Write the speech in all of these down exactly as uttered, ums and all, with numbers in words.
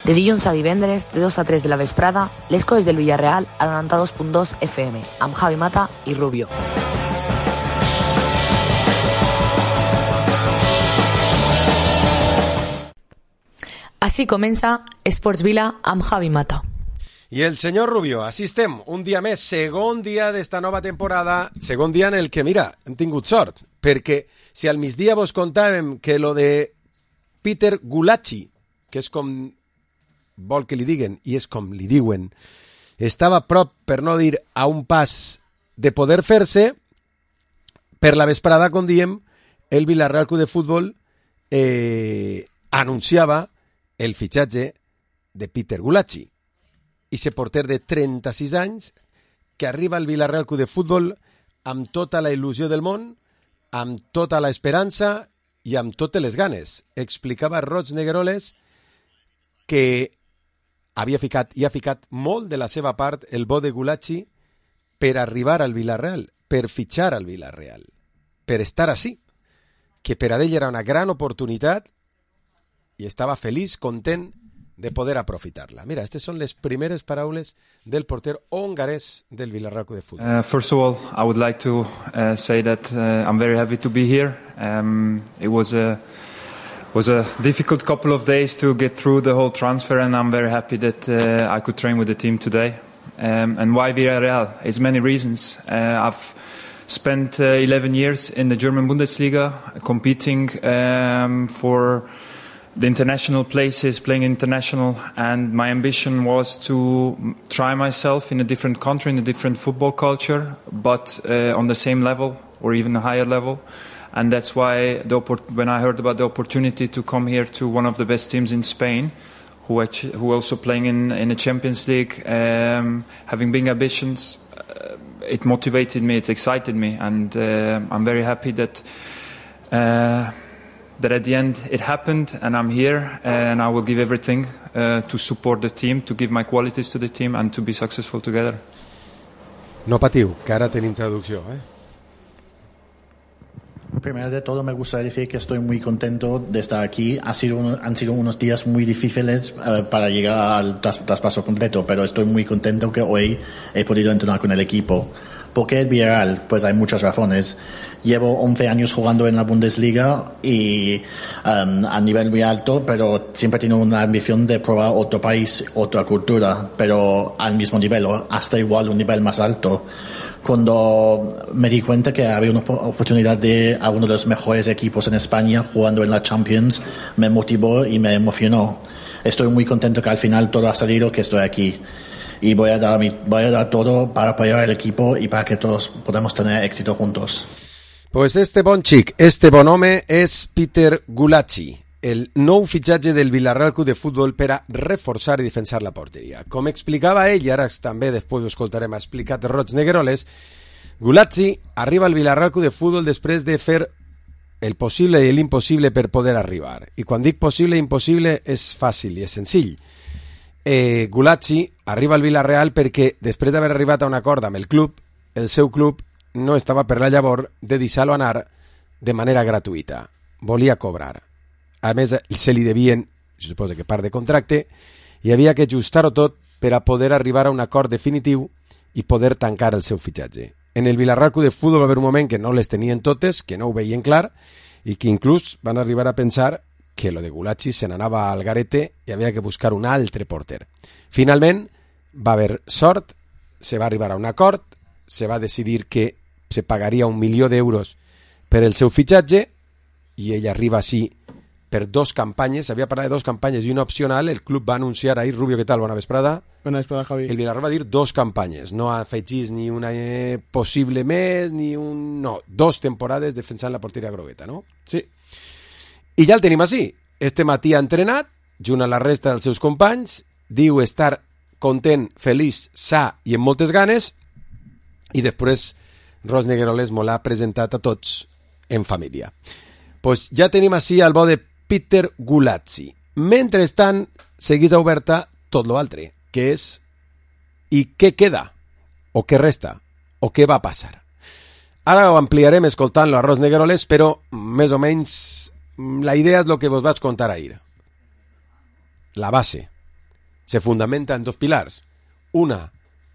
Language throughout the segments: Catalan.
De dilluns a divendres, de dos a tres de la vesprada, les coses del Villarreal al noranta-dos punt dos F M, amb Javi Mata i Rubio. Així comença Esports Vila amb Javi Mata. I el senyor Rubio, així estem, un dia més, segon dia d'esta nova temporada, segon dia en el que, mira, hem tingut sort, perquè si al migdia vos contàvem que lo de Peter Gulacsi, que és com vol que li diguen, i és com li diuen, estava a prop, per no dir a un pas de poder fer-se, per la vesprada, com diem, el Villarreal Club de Futbol eh, anunciava el fitxatge de Peter Gulacsi, i ese porter de trenta-sis anys que arriba al Villarreal Club de Futbol amb tota la il·lusió del món, amb tota la esperança i amb totes les ganes. Explicava Roig Negueroles que havia ficat i ha ficat molt de la seva part el bo de Gulacsi per arribar al Villarreal, per fitxar al Villarreal, per estar així, que per a ell era una gran oportunitat i estava feliç, content de poder aprofitar-la. Mira, estas son las primeras paraules del porter hongarés del Villarreal Club de Fútbol. Uh, first of all, I would like to uh, say that uh, I'm very happy to be here. Um, it was a was a difficult couple of days to get through the whole transfer, and I'm very happy that uh, I could train with the team today. Um, and why Villarreal? It's many reasons. Uh, I've spent uh, eleven years in the German Bundesliga, competing um, for the international places, playing international, and my ambition was to try myself in a different country, in a different football culture, but uh, on the same level or even a higher level. And that's why the when I heard about the opportunity to come here to one of the best teams in Spain, who actually, who also playing in in the Champions League, um, having big ambitions, uh, it motivated me, it excited me, and uh, I'm very happy that. Uh, that at the end it happened and I'm here and I will give everything uh, to support the team, to give my qualities to the team and to be successful together. No patiu, que ara tenim traducció, ¿eh? Primero de todo me gustaría decir que estoy muy contento de estar aquí. Ha sido un, han sido unos días muy difíciles uh, para llegar al tras, traspaso completo, pero estoy muy contento que hoy he podido entrenar con el equipo. ¿Por qué el Villarreal? Pues hay muchas razones. Llevo once años jugando en la Bundesliga y um, a nivel muy alto, pero siempre he tenido una ambición de probar otro país, otra cultura, pero al mismo nivel, o hasta igual un nivel más alto. Cuando me di cuenta que había una oportunidad de a uno de los mejores equipos en España jugando en la Champions, me motivó y me emocionó. Estoy muy contento que al final todo ha salido, que estoy aquí. Y voy a dar mi, voy a dar todo para apoyar al equipo y para que todos podamos tener éxito juntos. Pues este bon xic, este bon home és Peter Gulacsi, el nou fitxatge del Villarreal Club de Futbol per a reforçar i defensar la porteria. Com explicava ell, i ara també després ho escoltarem, ha explicat Roig Negueroles, Gulacsi arriba al Villarreal Club de Futbol després de fer el possible i l'impossible per poder arribar. I quan dic possible i impossible és fàcil i és senzill. Eh, Gulacsi arriba al Villarreal perquè després d'haver arribat a un acord amb el club, el seu club no estava per la llavor de deixar-lo anar de manera gratuïta. Volia cobrar. A més, se li devien, se suposa que part de contracte, i havia que ajustar-ho tot per a poder arribar a un acord definitiu i poder tancar el seu fitxatge. En el Villarreal Club de Futbol va haver un moment que no les tenien totes, que no ho veien clar, i que inclús van arribar a pensar que lo de Gulacsi se n'anava al garete i havia que buscar un altre porter. Finalment, va haver sort, se va arribar a un acord, se va decidir que se pagaria un milió d'euros per el seu fitxatge i ell arriba així per dos campanyes, havia parlat de dos campanyes i una opcional, el club va anunciar ahir, Rubio, què tal? Bona vesprada. Bona vesprada, Javi. El Villarreal va dir dos campanyes, no afegís ni una eh, possible més, ni un... No, dos temporades defensant la porteria grogueta, no? Sí. I ja el tenim així. Este matí ha entrenat, junt a la resta dels seus companys, diu estar content, feliç, sa i amb moltes ganes, i després Roig Negueroles me l'ha presentat a tots en família. Pues ja tenim així el bo de Peter Gulacsi. Mentrestant, seguís oberta tot l'altre, que és i què queda, o què resta, o què va passar. Ara ho ampliarem escoltant-lo a Roig Negueroles, però més o menys la idea és el que vos vaig contar ahir. La base. se fundamenta en dos pilars. Una,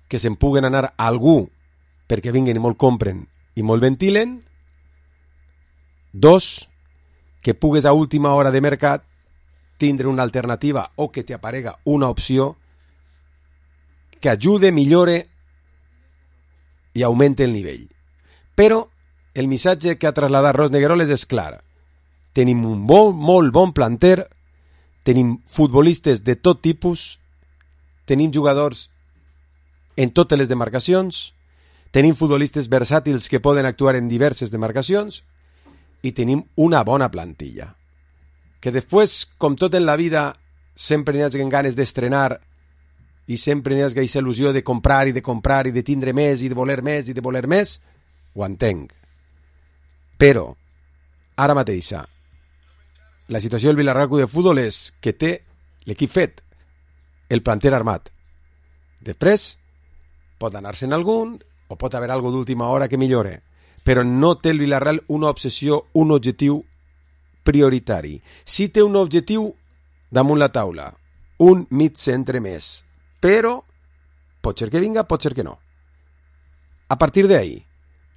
que se'n puguen anar a algú perquè vinguen i molt compren i molt ventilen. Dos, que pugues a última hora de mercat tindre una alternativa o que t'aparega una opció que ajude, millore i augmente el nivell. Però el missatge que ha traslladat Ros Negueroles és clar. Tenim un bon, molt bon planter, tenim futbolistes de tot tipus, tenim jugadors en totes les demarcacions, tenim futbolistes versàtils que poden actuar en diverses demarcacions i tenim una bona plantilla. Que després, com tot en la vida, sempre n'hi hagi ganes d'estrenar i sempre n'hi hagi aquesta il·lusió de comprar i de comprar i de tindre més i de voler més i de voler més, ho entenc. Però, ara mateixa, la situació del Villarreal Club de Futbol és que té l'equip fet, el planter armat. Després, pot anar-se'n algun o pot haver algo d'última hora que millore, però no té el Villarreal una obsessió, un objectiu prioritari. Si té un objectiu damunt la taula, un mig centre més, però pot ser que vinga, pot ser que no. A partir d'ahí,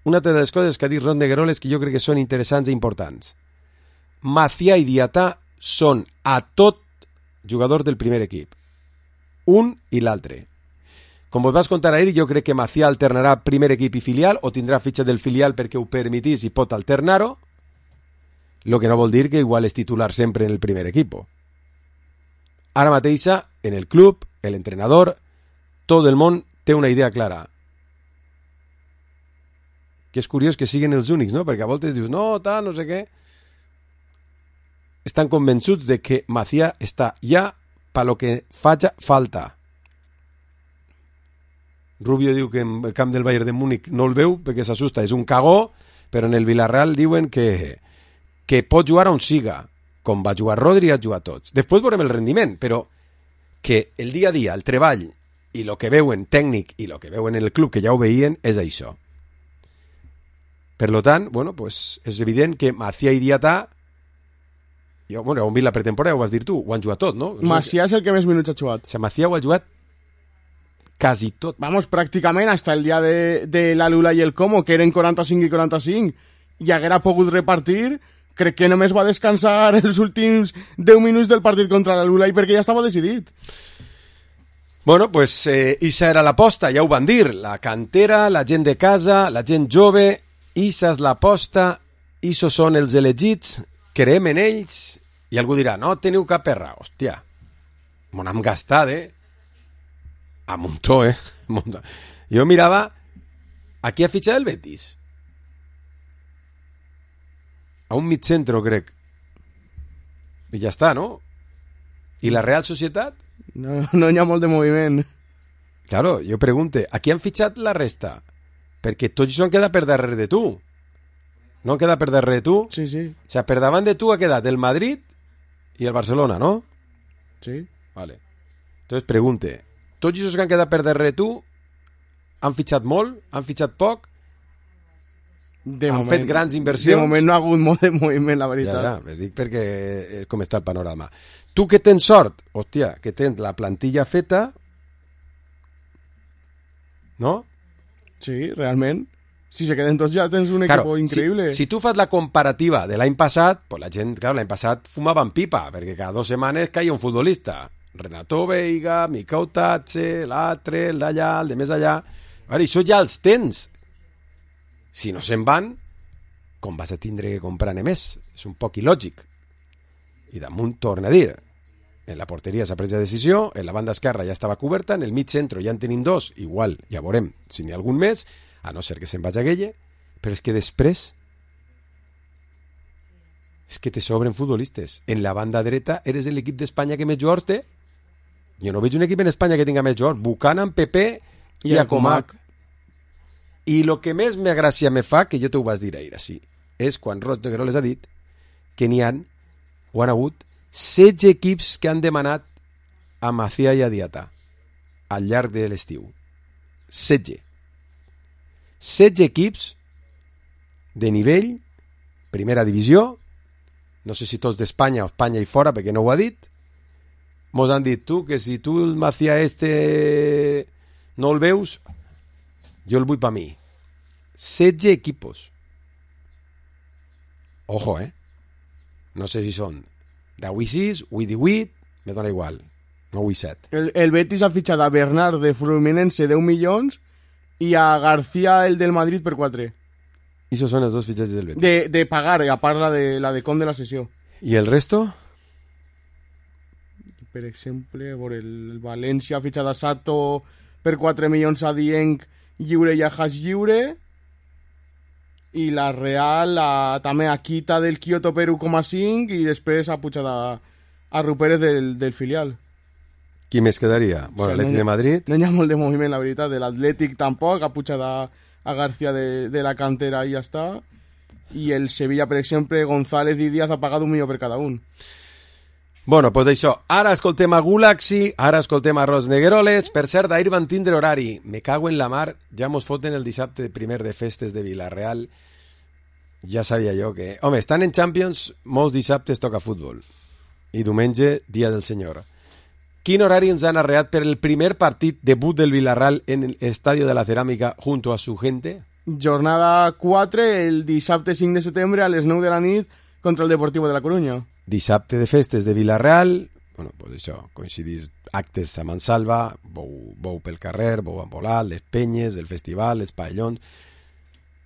una de les coses que ha dit Ros Negueroles que jo crec que són interessants i importants. Macià i Diatà són a tot jugadors del primer equip. Un i l'altre. Com vos vas contar ahir, jo crec que Macià alternarà primer equip i filial o tindrà fitxa del filial perquè ho permetís i pot alternar-ho, lo que no vol dir que igual és titular sempre en el primer equip. Ara mateixa, en el club, l'entrenador, tot el món té una idea clara. Que és curiós que siguin els únics, no? Perquè a voltes dius, no, tal, no sé què. Estan convençuts de que Macià està ja pa lo que faci falta. Rubio diu que en el camp del Bayern de Múnich no el veu perquè s'assusta, és un cagó, però en el Villarreal diuen que, que pot jugar on siga, com va jugar Rodri i ha jugat tots. Després veurem el rendiment, però que el dia a dia, el treball i el que veuen tècnic i el que veuen en el club, que ja ho veien, és això. Per lo tant, bueno, pues és evident que Macià i Diatà, jo, bueno, ho hem vist la pretemporada, ho vas dir tu, ho han jugat tot, no? Macià és el que més minuts ha jugat. O sigui, Macià ho ha jugat quasi tot. Vamos, pràcticament, hasta el dia de, de la Lula i el Como, que eren quaranta-cinc i quaranta-cinc, i haguera pogut repartir, crec que només va descansar els últims deu minuts del partit contra la Lula i perquè ja estava decidit. Bueno, pues eh, Issa era l'aposta, ja ho van dir, la cantera, la gent de casa, la gent jove, Issa és l'aposta, Issa són els elegits, creem en ells, i algú dirà, no teniu cap perra, hòstia, m'ho hem gastat, eh? A muntó, eh? Muntó. Jo mirava, aquí ha fitxat el Betis. A un mig centro, crec. I ja està, no? I la Real Societat? No, no hi ha molt de moviment. Claro, jo pregunte, a qui han fitxat la resta? Perquè tots s'han quedat per darrere de tu. No han quedat per darrere de tu? Sí, sí. O sigui, per davant de tu ha quedat el Madrid i el Barcelona, no? Sí. Vale. Entonces pregunte, tots els que han quedat per darrere de tu han fitxat molt? Han fitxat poc? De han moment, fet grans inversions? De moment no ha hagut molt de moviment, la veritat. Ja, ja, dic perquè és com està el panorama. Tu que tens sort, hòstia, que tens la plantilla feta, no? Sí, realment. Si se queden tots ja tens un claro, equipo increïble. Si, si tu fas la comparativa de l'any passat, pues la gent, claro, l'any passat fumaven pipa, perquè cada dues setmanes caia un futbolista. Renato Veiga, Mikau Tatxe, l'altre, el d'allà, el de més allà. Veure, això ja els tens. Si no se'n van, com vas a tindre que comprar més? És un poc il·lògic. I damunt torna a dir, en la porteria s'ha pres la decisió, en la banda esquerra ja estava coberta, en el mig centre ja en tenim dos, igual ja veurem si n'hi ha algun més, a no ser que se'n vagi a Guelle, però és que després és que te sobren futbolistes. En la banda dreta eres l'equip d'Espanya que més jugadors té. Jo no veig un equip en Espanya que tinga més jugadors. Buchanan, Pepe i, i Acomac. I el que més me gràcia me fa, que jo t'ho vas dir ahir així, és quan Ros Negueroles ha dit que n'hi han, o han hagut, setze equips que han demanat a Macià i a Diatà al llarg de l'estiu. setze. setze equips de nivell, primera divisió, no sé si tots d'Espanya o Espanya i fora, perquè no ho ha dit, mos han dit, tu, que si tu el Macià este no el veus, jo el vull per mi. setze equipos. Ojo, eh? No sé si són d'avui sis, avui divuit, me dona igual. No avui set. El, el Betis ha fitxat a Bernard de Fluminense deu milions i a García, el del Madrid, per quatre. I això són els dos fitxatges del Betis. De, de pagar, a part la de, la de com de la sessió. I el resto? Per exemple, el, el València ha fitxat a Sato per quatre milions a Dieng lliure i a Haas lliure, i la Real a, també a Quita del Kyoto per u coma cinc i després ha pujat a, a Rupérez del, del filial. Qui més quedaria? Bueno, o sigui, l'Atlètic no, de Madrid. No hi ha molt de moviment, la veritat. De l'Atlètic tampoc, ha pujat a, a García de, de la cantera i ja està. I el Sevilla, per exemple, González i Díaz ha pagat un milió per cada un. Bueno, doncs això. Ara escoltem a Gulaxi, ara escoltem a Ros Negueroles. Per cert, ahir van tindre horari. Me cago en la mar. Ja mos foten el dissabte primer de festes de Villarreal. Ja sabia jo que... Home, estan en Champions, molts dissabtes toca futbol. I diumenge, dia del senyor. Quin horari ens han arreat per el primer partit debut del Villarreal en el Estadio de la Ceràmica junto a su gente? Jornada quatre, el dissabte cinc de setembre a les nou de la nit contra el Deportivo de la Coruña. Dissabte de festes de Villarreal, bueno, pues això, coincidís actes a Mansalva, bou, bou pel carrer, bou embolat, les penyes, el festival, els pavellons.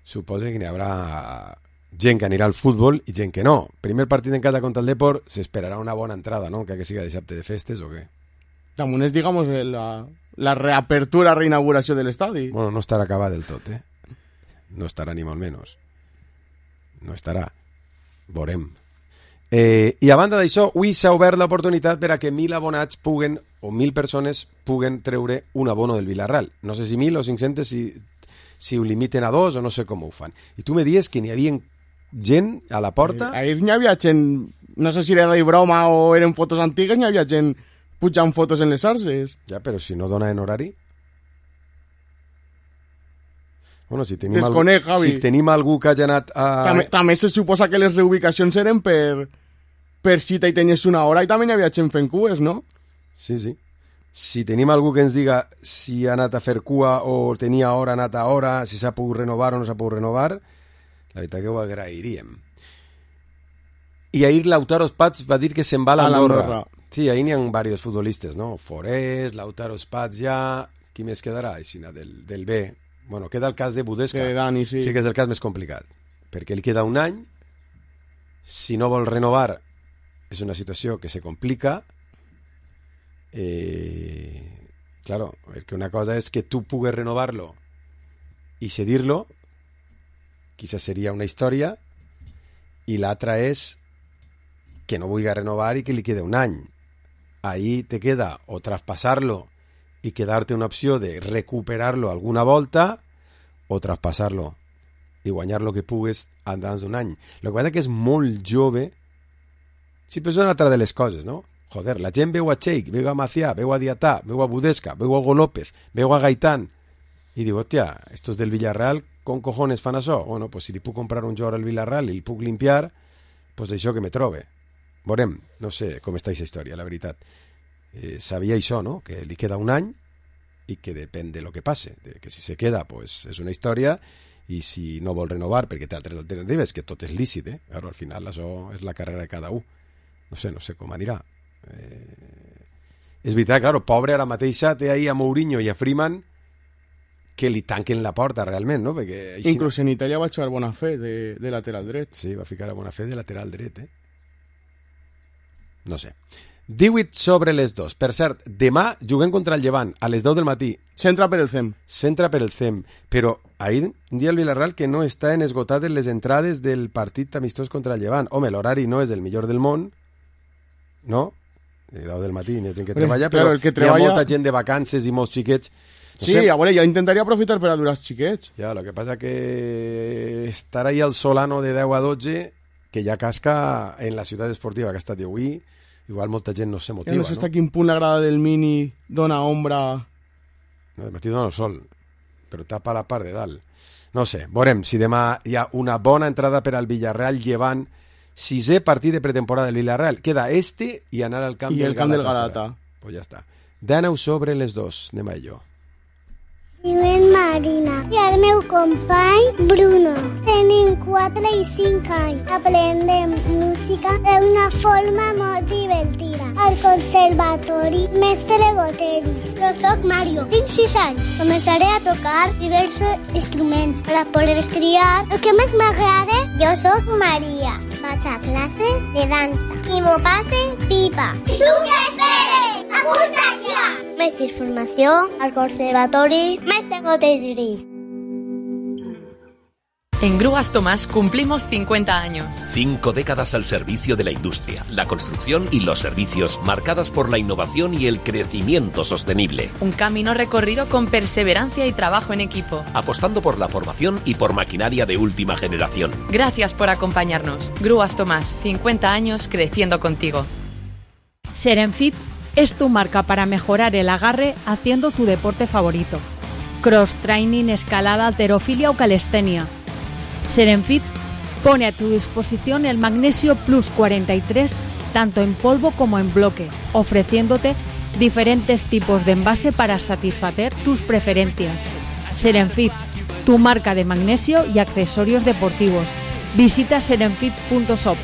Suposo que n'hi haurà gent que anirà al futbol i gent que no. Primer partit en casa contra el Depor, s'esperarà una bona entrada, no? Que, que siga dissabte de festes o què? Damunt és, digamos, la, la reapertura, reinauguració de l'estadi. Bueno, no estarà acabat del tot, eh? No estarà ni molt menys. No estarà. Veurem. Eh, I a banda d'això, avui s'ha obert l'oportunitat per a que mil abonats puguen, o mil persones puguen treure un abono del Villarreal. No sé si mil o cinc-centes, si, si ho limiten a dos o no sé com ho fan. I tu me dies que n'hi havia gent a la porta... Eh, ahir n'hi havia gent, no sé si era de broma o eren fotos antigues, n'hi havia gent pujant fotos en les arces. Ja, però si no dona en horari... Bueno, si tenim, Desconec, algú, si tenim algú que hagi anat a... També, també se suposa que les reubicacions eren per, per cita i tenies una hora i també hi havia gent fent cues, no? Sí, sí. Si tenim algú que ens diga si ha anat a fer cua o tenia hora, ha anat a hora, si s'ha pogut renovar o no s'ha pogut renovar, la veritat que ho agrairíem. I ahir Lautaro Spats va dir que se'n va a l'Andorra. Sí, ahir n'hi ha diversos futbolistes, no? Forés, Lautaro Spats ja... Qui més quedarà? Aixina, del, del B. Bueno, queda el cas de Budesca. Que Dani, sí. Sí que és el cas més complicat. Perquè li queda un any, si no vol renovar, és una situació que se complica. Eh, claro, perquè una cosa és que tu pugues renovar-lo i cedir-lo, quizás seria una història, i l'altra és que no vulgui renovar i que li queda un any. Ahí te queda o traspasar-lo y quedarte una opció de recuperar-lo alguna volta o traspasar-lo i guanyar lo que pugues endans d'un any. El que passa que és molt jove. Sí, però és una altra de les coses, no? Joder, la gent veu a Cheik, veu a Macià, veu a Diatà, veu a Budesca, veu a Hugo López, veu a Gaitán i diu, hòstia, estos del Villarreal con cojones fan això? Bueno, pues si li puc comprar un jugador al Villarreal i li puc limpiar, pues això que me trobe. Veurem, no sé com està aquesta història, la veritat. Eh, sabia això, no? Que li queda un any i que depèn de lo que passe, de que si se queda pues és una història i si no vol renovar perquè té altres alternatives, que tot és lícit, eh? Però al final això és la carrera de cada un. No sé, no sé com anirà. Eh... És veritat, claro, pobre ara mateixa té ahí a Mourinho i a Freeman que li tanquen la porta realment, no? Perquè així... Inclús en Itàlia va jugar Bonafé de, de lateral dret. Sí, va ficar a Bonafé de lateral dret, eh? No sé. divuit sobre les dos. Per cert, demà juguem contra el Llevant, a les deu del matí. S'entra per el C E M. S'entra per el C E M. Però ahir dia el Villarreal que no estan esgotades les entrades del partit amistós contra el Llevant. Home, l'horari no és el millor del món, no? A deu del matí hi ha gent que treballa, però, però el que treballa... hi ha molta gent de vacances i molts xiquets. No sí, sé. a veure, jo intentaria aprofitar per a durar els xiquets. Ja, el que passa que estar ahí al Solano de deu a dotze, que ja casca en la ciutat esportiva que ha estat d'avui, igual molta gent no se motiva, ja no sé hasta no? quin punt la grada del Mini dona ombra... No, de matí dona el sol, però tapa la part de dalt. No sé, veurem si demà hi ha una bona entrada per al Villarreal Llevant, sisè partit de pretemporada del Villarreal. Queda este i anar al camp, I del, el camp Galata, del Galata. Pues ja està. D'aneu sobre les dos, anem a ello. Diuen Marina i el meu company Bruno. Tenim quatre i cinc anys. Aprendem música d'una forma molt divertida. Al conservatori Mestre Goteris. Jo soc Mario, tinc sis anys. Començaré a tocar diversos instruments per a poder triar el que més m'agrada. Jo soc Maria. Vaig a classes de dansa i m'ho passe pipa. I tu què esperes? Apunta't ja! Més informació al conservatori Mestre Goteris. En Grúas Tomás cumplimos cincuenta años. Cinco décadas al servicio de la industria, la construcción y los servicios, marcadas por la innovación y el crecimiento sostenible. Un camino recorrido con perseverancia y trabajo en equipo. Apostando por la formación y por maquinaria de última generación. Gracias por acompañarnos. Grúas Tomás, cincuenta años creciendo contigo. Serenfit es tu marca para mejorar el agarre haciendo tu deporte favorito. Cross training, escalada, halterofilia o calistenia. Serenfit pone a tu disposición el Magnesio Plus cuarenta y tres tanto en polvo como en bloque, ofreciéndote diferentes tipos de envase para satisfacer tus preferencias. Serenfit, tu marca de magnesio y accesorios deportivos. Visita serenfit punto shop.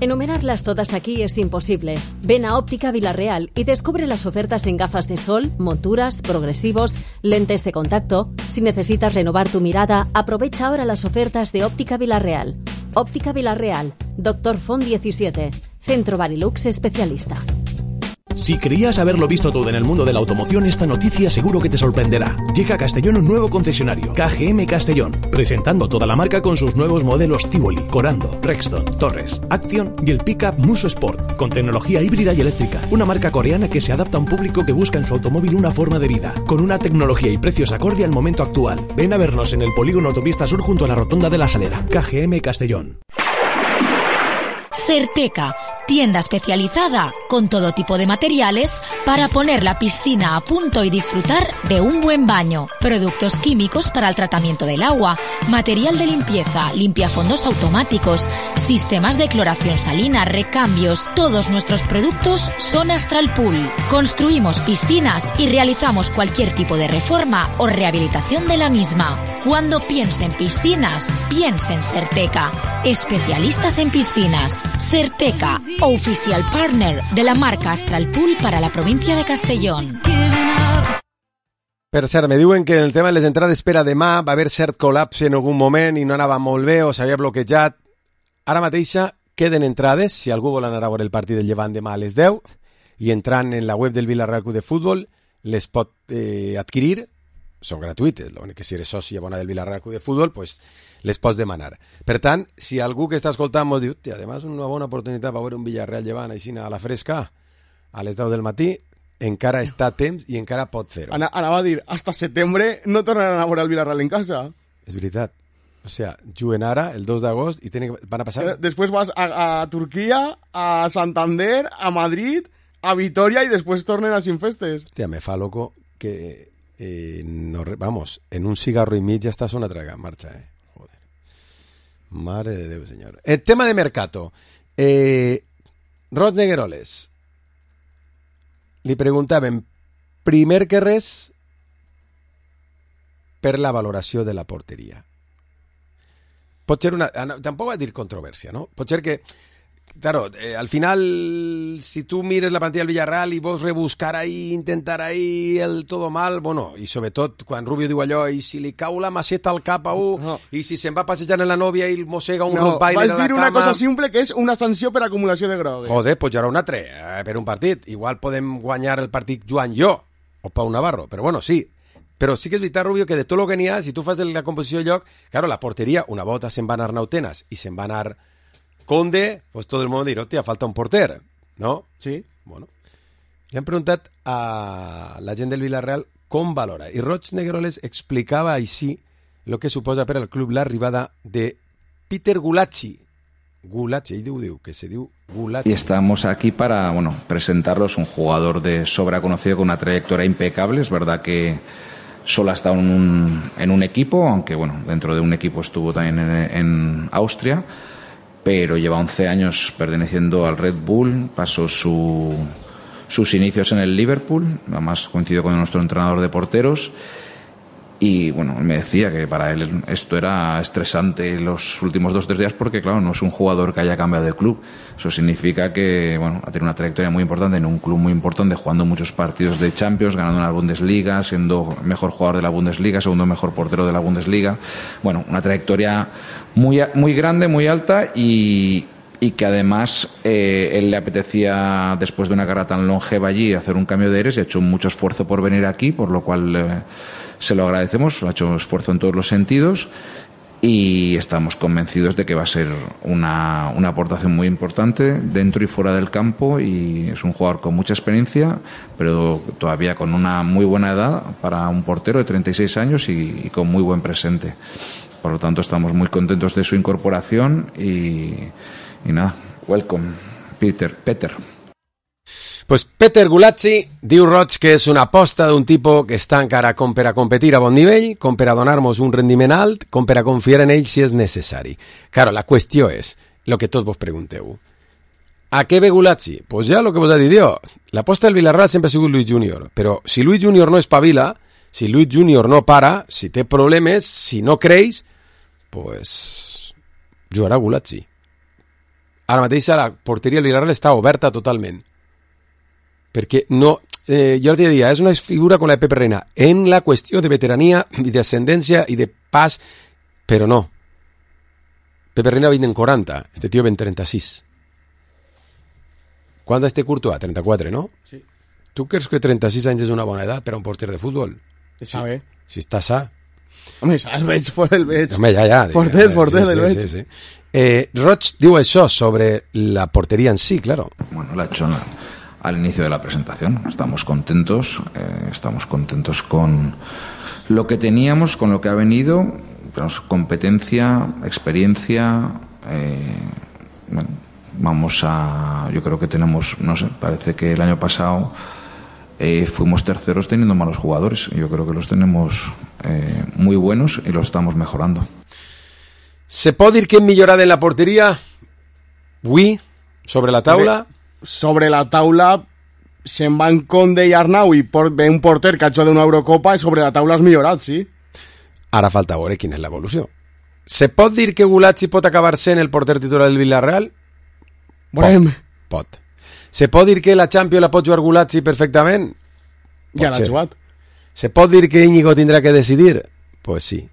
Enumerarlas todas aquí es imposible. Ven a Óptica Vilarreal y descubre las ofertas en gafas de sol, monturas, progresivos, lentes de contacto. Si necesitas renovar tu mirada, aprovecha ahora las ofertas de Óptica Vilarreal. Óptica Vilarreal, Doctor Font diecisiete, Centro Barilux especialista. Si creías haberlo visto todo en el mundo de la automoción, esta noticia seguro que te sorprenderá. Llega a Castellón un nuevo concesionario, K G M Castellón, presentando toda la marca con sus nuevos modelos Tivoli, Corando, Rexton, Torres, Action y el pickup Muso Sport, con tecnología híbrida y eléctrica. Una marca coreana que se adapta a un público que busca en su automóvil una forma de vida, con una tecnología y precios acorde al momento actual. Ven a vernos en el polígono Autopista Sur junto a la Rotonda de la Salera. K G M Castellón. Serteca, tienda especializada con todo tipo de materiales para poner la piscina a punto y disfrutar de un buen baño. Productos químicos para el tratamiento del agua, material de limpieza, limpiafondos automáticos, sistemas de cloración salina, recambios. Todos nuestros productos son Astral Pool. Construimos piscinas y realizamos cualquier tipo de reforma o rehabilitación de la misma. Cuando piense en piscinas, piense en Serteca. Especialistas en piscinas. Serteca, oficial partner de la marca Astral Pool para la provincia de Castellón. Per cert, me diuen que el tema de les entrades per a demà va haver cert col·lapse en algun moment i no anava molt bé o s'havia bloquejat. Ara mateixa queden entrades, si algú vol anar a veure el partit del Llevant demà a les deu, i entrant en la web del Villarreal Club de Futbol les pot eh, adquirir, són gratuïtes, l'únic que si eres soci abonat del Villarreal Club de Futbol, pues les pots demanar. Per tant, si algú que està escoltant mos diu, hòstia, además una bona oportunitat per veure un Villarreal Llevant així a la fresca, a les deu del matí, encara està a temps i encara pot fer-ho. Ana, anava a dir, hasta setembre no tornaran a veure el Villarreal en casa. És veritat. O sea, juguen ara, el dos d'agost, i tenen, van a passar... Després vas a, a Turquia, a Santander, a Madrid, a Vitoria i després tornen a Sinfestes. Hòstia, me fa loco que... Eh, no, vamos, en un cigarro y mig ya estás una traga en marcha, eh. Joder. Madre de Dios, señor. El tema de mercato. Eh, Roig Negueroles. Li preguntaven, primer que res, per la valoració de la porteria. Pot ser una... Tampoc va dir controvèrsia, no? Pot ser que... Claro, eh, al final, si tú mires la plantilla del Villarreal y vos rebuscar ahí, intentar ahí el todo mal, bueno, i sobretot quan Rubio diu allò, i si li cau la maceta al cap a un, no. I si se'n va passejant en la nòvia i mossega un no, rottweiler a la cama... Vas dir una cosa simple que és una sanció per acumulació de grogues. Joder, pues hi haurà un altre, eh, per un partit. Igual podem guanyar el partit Joan jo, o Pau Navarro, però bueno, sí. Però sí que és veritat, Rubio, que de tot el que n'hi ha, si tu fas la composició de lloc, claro, la porteria, una volta se'n va anar Nautenas i se'n va anar Conde, pues todo el mundo dirá, hostia, falta un porter, ¿no? Sí. Bueno, le han preguntat a la gent del Villarreal com valora. I Roig Negueroles explicava així el que suposa per al club l'arribada de Peter Gulacsi. Gulacsi, ell diu, diu, que se diu Gulacsi. Y estamos aquí para, bueno, presentarlos, un jugador de sobra conocido con una trayectoria impecable. Es verdad que solo ha estado en un, en un equipo, aunque, bueno, dentro de un equipo estuvo también en, en Austria, pero lleva once años perteneciendo al Red Bull, pasó su, sus inicios en el Liverpool, además coincidió con nuestro entrenador de porteros. Y bueno, me decía que para él esto era estresante los últimos dos o tres días porque, claro, no es un jugador que haya cambiado de club. Eso significa que, bueno, ha tenido una trayectoria muy importante en un club muy importante, jugando muchos partidos de Champions, ganando una Bundesliga, siendo mejor jugador de la Bundesliga, segundo mejor portero de la Bundesliga. Bueno, una trayectoria muy, muy grande, muy alta y, y que además eh, él le apetecía, después de una carrera tan longeva allí, hacer un cambio de aires y ha hecho mucho esfuerzo por venir aquí, por lo cual... Eh, se lo agradecemos, ha hecho esfuerzo en todos los sentidos y estamos convencidos de que va a ser una, una aportación muy importante dentro y fuera del campo, y es un jugador con mucha experiencia, pero todavía con una muy buena edad para un portero de treinta y seis años y, y con muy buen presente. Por lo tanto, estamos muy contentos de su incorporación y, y nada, welcome, Peter. Peter. Pues Peter Gulacsi diu Roig que és una aposta d'un tipus que està encara com per a competir a bon nivell, com per a donar-nos un rendiment alt, com per a confiar en ell si és necessari. Claro, la qüestió és, lo que tots vos pregunteu, ¿a què ve Gulacsi? Pues ja lo que vos ha dit jo, l'aposta del Villarreal sempre ha sigut Luis Junior, però si Luis Junior no espavila, si Luis Junior no para, si té problemes, si no creix, pues jugarà Gulacsi. Ara mateix la porteria del Villarreal està oberta totalment. Perquè no, eh, jo l'altre dia, és una figura com la de Pepe Reina, en la qüestió de veterania i d'ascendència i de pas, però no. Pepe Reina vint en quaranta, este tio vint trenta-sis. Quant és este Courtois? trenta-quatre, no? Sí. Tu creus que trenta-sis anys és una bona edat per a un porter de futbol? Està bé. Si està sa. Home, el veig, el veig. Home, ja, ja. Fortet, fortet, sí, el sí, veig. Sí, sí. Eh, Roig diu això sobre la portería en sí, claro. Bueno, la hecho al inicio de la presentación. Estamos contentos, eh, estamos contentos con lo que teníamos, con lo que ha venido, tenemos competencia, experiencia, eh, bueno, vamos a, yo creo que tenemos, no sé, parece que el año pasado eh, fuimos terceros teniendo malos jugadores. Yo creo que los tenemos eh, muy buenos y los estamos mejorando. Se pot dir que hem millorat en la porteria? Avui, sobre la taula? Sobre la taula se'n van Conde i Arnau i por, ve un porter que ha hecho d'una Eurocopa i sobre la taula has millorat, sí. Ara falta veure quina és l'evolució. Se pot dir que Gulacsi pot acabar sent el porter titular del Villarreal? Pot. Pot. Se pot dir que la Champions la pot jugar Gulacsi perfectament? Ja l'ha jugat. Se pot dir que Íñigo tindrà que decidir? Pues sí.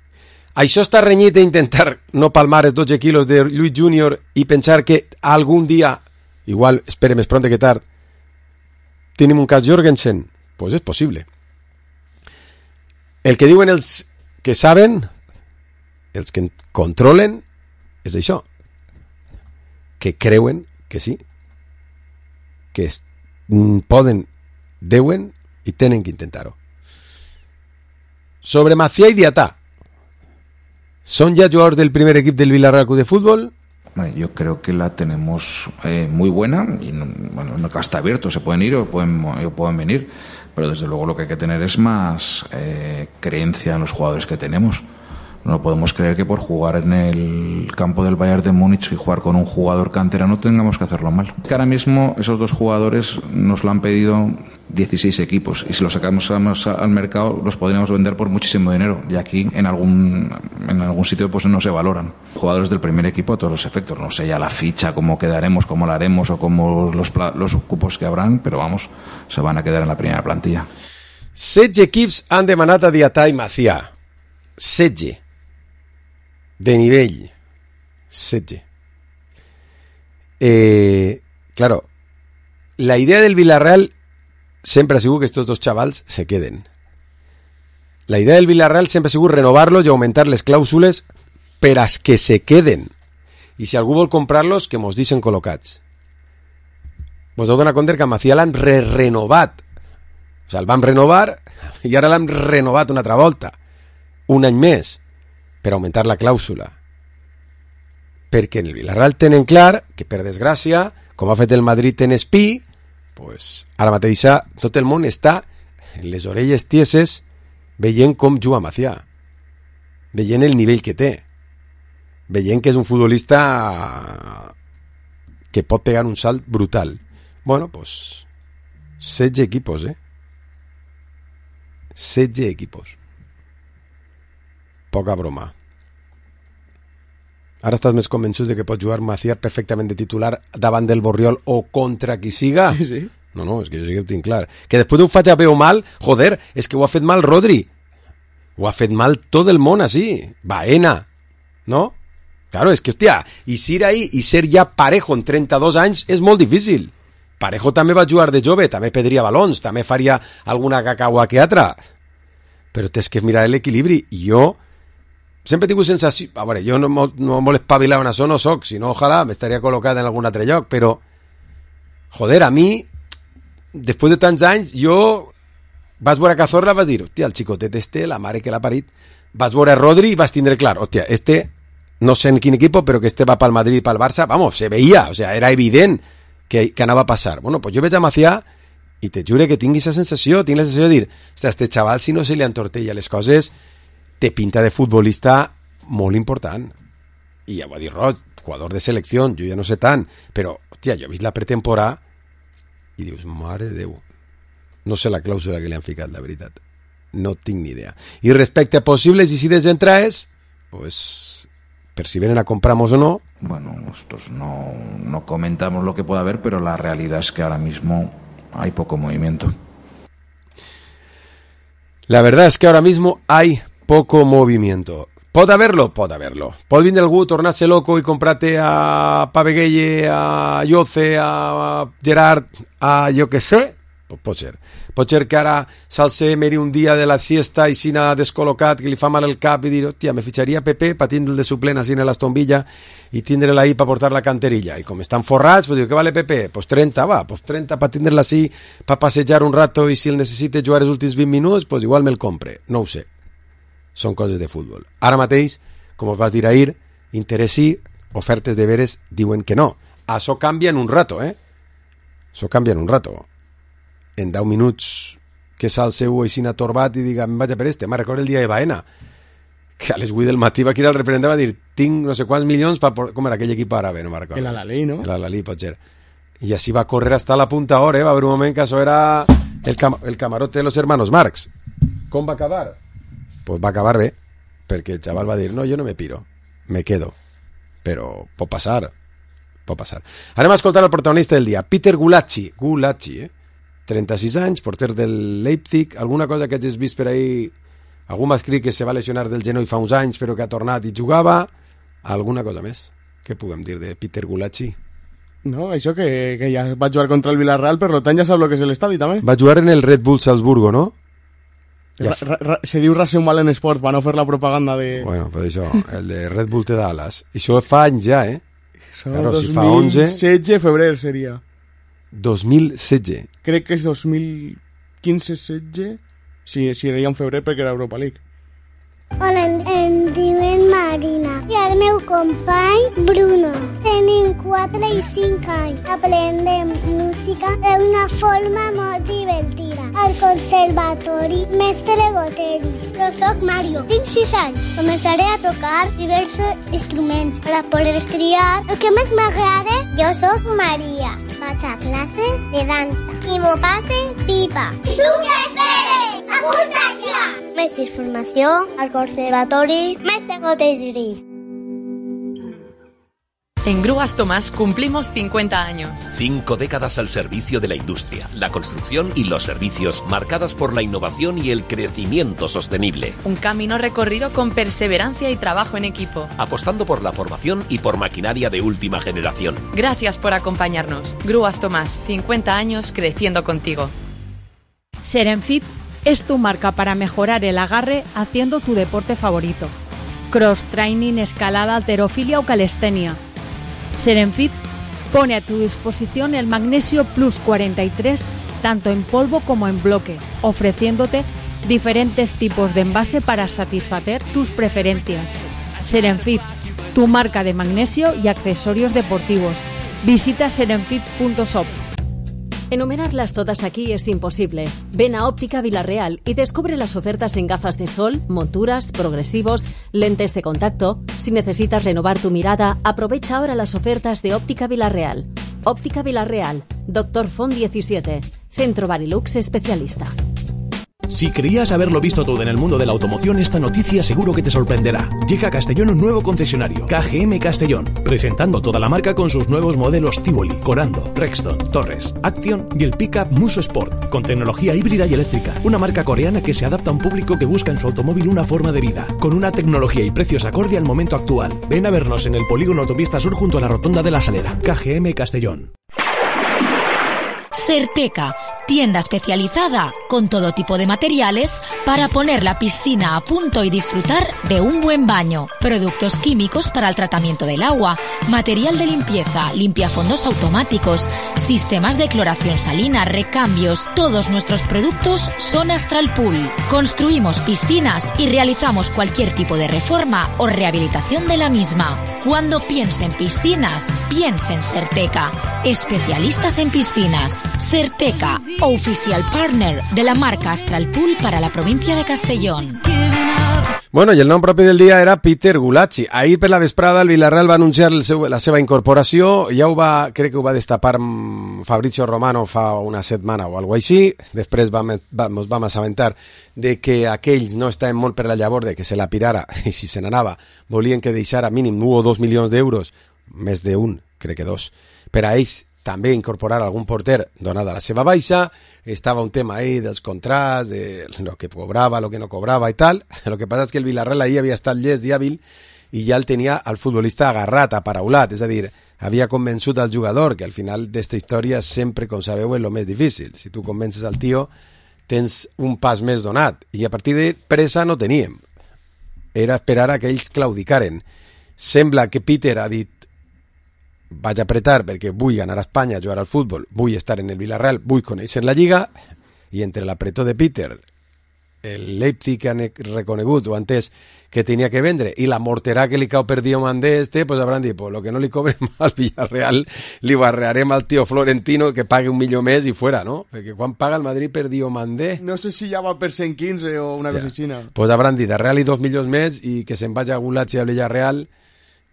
Això està renyit d'intentar no palmar els dotze quilos de Luis Junior i pensar que algun dia, igual, espere més pronte que tard, tenim un cas Jorgensen? Pues és possible. El que diuen els que saben, els que controlen, és això. Que creuen que sí. Que es, poden, deuen i tenen que intentar-ho. Sobre Macià i Diatà. ¿Son ya jugadores del primer equipo del Villarreal Club de Fútbol? Bueno, yo creo que la tenemos eh, muy buena y no, bueno, el mercado está abierto, se pueden ir o pueden, o pueden venir, pero desde luego lo que hay que tener es más eh, creencia en los jugadores que tenemos. No podemos creer que por jugar en el campo del Bayern de Múnich y jugar con un jugador canterano tengamos que hacerlo mal. Que ahora mismo esos dos jugadores nos lo han pedido dieciséis equipos y si los sacamos al mercado los podríamos vender por muchísimo dinero y aquí en algún en algún sitio pues no se valoran. Jugadores del primer equipo a todos los efectos, no sé ya la ficha, cómo quedaremos, cómo la haremos o cómo los, los cupos que habrán, pero vamos, se van a quedar en la primera plantilla. setze equips han demanat a Diatà i Macià. setze. De nivell. setze. Eh, claro, la idea del Villarreal sempre ha sigut que estos dos xavals se queden. La idea del Villarreal sempre ha sigut renovar-los i augmentar les clàusules per a que se queden. I si algú vol comprar-los, que mos deixen col·locats. Vos heu donat compte que a Macià l'han re-renovat. O sigui, el vam renovar i ara l'han renovat una altra volta. Un any més. Per augmentar la clàusula. Perquè en el Villarreal tenen clar que, per desgràcia, com ha fet el Madrid en Espí, pues, ara mateix tot el món està en les orelles tieses veient com juga Macià, veient el nivell que té, veient que és un futbolista que pot pegar un salt brutal. Bueno, pues, setze equipos, eh? setze equipos. Poca broma. Ara estàs més convençut de que pot jugar Macià perfectament de titular davant del Borriol o contra qui siga? Sí, sí. No, no, és que jo sí que ho tinc clar. Que després ho faig a bé o mal, joder, és que ho ha fet mal Rodri. Ho ha fet mal tot el món així. Baena, no? Claro, és que, hòstia, i ser ahí i ser ja Parejo en trenta-dos anys és molt difícil. Parejo també va jugar de jove, també pedria balons, també faria alguna cacaua que altra. Però tens que mirar l'equilibri. I jo sempre he tingut sensació... A veure, jo no, no molt espavilat en això no soc, si no, ojalà m'estaria col·locat en algun altre lloc, però, joder, a mi, després de tants anys, jo vas veure Cazorla, vas dir, hòstia, el xicotet este, la mare que l'ha parit, vas veure Rodri i vas tindre clar, hòstia, este, no sé en quin equip, però que este va pel Madrid i pel Barça, vamos, se veia, o sea, era evident que, que anava a passar. Bueno, pues jo veig a Macià i te jure que tinc aquesta sensació, tinc la sensació de dir, hòstia, este xaval, si no se li entortella les coses, té pinta de futbolista molt important. I ja ho ha dit Roig, jugador de selecció, jo ja no sé tant, però, hòstia, jo he vist la pretemporada i dius, mare de Déu, no sé la clàusula que li han ficat, la veritat. No tinc ni idea. I respecte a possibles isides d'entrades, pues, per si vienen a compramos o no. Bueno, nosotros no, no comentamos lo que pueda haber, pero la realidad es que ahora mismo hay poco movimiento. La verdad es que ahora mismo hay poco movimiento. Pot haverlo? Pot haverlo. Pot vindre algú, tornar-se loco i comprar-te a Pavegueye, a Yoce, a Gerard, a jo que sé? Pues pot ser. Pot ser que ara s'alce meri un dia de la siesta i sina descol·locat, que li fa mal el cap i dir, hòstia, me fitxaria Pepe pa tindre'l de suplent així en l'estombilla i tindre'l ahí pa portar la canterilla. I com estan forrats, pues diu, què vale Pepe? Pues trenta, va, pues trenta pa tindre'l així, pa passejar un rato i si el necessite jugar els últims vint minuts, pues igual me'l compre. No ho sé. Són coses de futbol. Ara mateix, com us vas dir ahir, interès sí, ofertes de veres diuen que no. Això canvia en un rato, eh? Això canvia en un rato. En deu minuts que s'alceu així atorbat i diga, em vaig a per este. Me'n recordo el dia de Baena, que a les vuit del matí va aquí al representant va dir, tinc no sé quants milions per... Com era aquell equip àrabe? No me'n recordo. El Al-Ahly, no? El Al-Ahly, pot ser. I així va córrer hasta la punta hora, eh? Va haver un moment que això era el, cam el camarote de los hermanos Marx. Com va acabar? Pues va acabar bé, perquè el xaval va dir, no, jo no me piro, me quedo. Però pot passar, pot passar. Anem a escoltar el protagonista del dia, Peter Gulacsi, Gulacsi, eh? trenta-sis anys, porter del Leipzig, alguna cosa que hagis vist per ahí, algú m'ha escrit que se va lesionar del genoll fa uns anys, però que ha tornat i jugava, alguna cosa més. Què puguem dir de Peter Gulacsi? No, això que, que ja va jugar contra el Villarreal, per tant ja sap el que és l'estadi, també. Va jugar en el Red Bull Salzburgo, no? Ja. Ra, ra, se diu Racing Mal en Sports, van a fer la propaganda de... Bueno, però això, el de Red Bull te da alas. Això fa anys ja, eh? Això claro, dos mil setze, si febrer seria. dos mil setze. Crec que és dos mil quinze setze, si, si era en febrer perquè era Europa League. Hola, em, em diuen Marina i el meu company Bruno. Tenim quatre i cinc anys. Aprendem música d'una forma molt divertida. Al conservatori Mestre Goteris. Jo soc Mario, tinc sis anys. Començaré a tocar diversos instruments per a poder triar el que més m'agrada. Jo soc Maria. Vaig a classes de dansa i m'ho passe pipa. I tu què esperes? Apunta't ja! Més informació al Conservatori Mestre Goteris. En Grúas Tomás cumplimos cincuenta años. Cinco décadas al servicio de la industria, la construcción y los servicios, marcadas por la innovación y el crecimiento sostenible. Un camino recorrido con perseverancia y trabajo en equipo. Apostando por la formación y por maquinaria de última generación. Gracias por acompañarnos. Grúas Tomás, cincuenta años creciendo contigo. Serenfit es tu marca para mejorar el agarre haciendo tu deporte favorito. Cross training, escalada, halterofilia o calistenia. Serenfit pone a tu disposición el Magnesio Plus cuarenta y tres tanto en polvo como en bloque, ofreciéndote diferentes tipos de envase para satisfacer tus preferencias. Serenfit, tu marca de magnesio y accesorios deportivos. Visita serenfit punto shop. Enumerarlas todas aquí es imposible. Ven a Óptica Villarreal y descubre las ofertas en gafas de sol, monturas, progresivos, lentes de contacto. Si necesitas renovar tu mirada, aprovecha ahora las ofertas de Óptica Villarreal. Óptica Villarreal, Doctor Font diecisiete, Centro Barilux especialista. Si creías haberlo visto todo en el mundo de la automoción, esta noticia seguro que te sorprenderá. Llega a Castellón un nuevo concesionario, K G M Castellón, presentando toda la marca con sus nuevos modelos Tivoli, Corando, Rexton, Torres, Action y el pickup Muso Sport, con tecnología híbrida y eléctrica. Una marca coreana que se adapta a un público que busca en su automóvil una forma de vida, con una tecnología y precios acorde al momento actual. Ven a vernos en el polígono Autopista Sur junto a la rotonda de la Salera. K G M Castellón. Serteca, tienda especializada con todo tipo de materiales para poner la piscina a punto y disfrutar de un buen baño. Productos químicos para el tratamiento del agua, material de limpieza, limpiafondos automáticos, sistemas de cloración salina, recambios. Todos nuestros productos son Astral Pool. Construimos piscinas y realizamos cualquier tipo de reforma o rehabilitación de la misma. Cuando piense en piscinas, piense en Serteca. Especialistas en piscinas. Serteca, oficial partner de la marca Astral Pool para la provincia de Castellón. Bueno, i el nom propi del dia era Peter Gulacsi. Ahir per la vesprada el Villarreal va anunciar el seu, la seva incorporació, ja ho va, crec que ho va destapar Fabrizio Romano fa una setmana o alguna cosa així. Després vam, vam, vam assabentar de que aquells no estaven molt per la llavor de que se la pirara, i si se n'anava volien que deixara mínim un o dos milions d'euros, més d'un, crec que dos, per a ells també incorporar algun porter donada la seva baixa. Estava un tema ahí dels contrats, de lo que cobrava, lo que no cobrava i tal. Lo que passa és que el Villarreal ahí havia estat llest i hàbil i ja el tenia el futbolista agarrat, aparaulat, és a dir, havia convençut al jugador, que al final d'esta història sempre, com sabeu, és el més difícil. Si tu convences al tio, tens un pas més donat. I a partir de pressa no teníem. Era esperar a que ells claudicaren. Sembla que Peter ha dit vaig apretar perquè vull anar a Espanya a jugar al futbol, vull estar en el Villarreal, vull conèixer la Lliga, i entre l'apretó de Peter, el Leipzig han reconegut o entès que tenia que vendre i la morterà que li cau per Diomandé este, pues hauran dit, pues lo que no li cobrem al Villarreal li barrearem al tio Florentino que pague un milió més i fuera, no? Perquè quan paga el Madrid per Diomandé? No sé si ja va per cent quinze o una cosa així. Pues hauran dit, a Real i dos milions més i que se'n vagi a Gulacsi al Villarreal.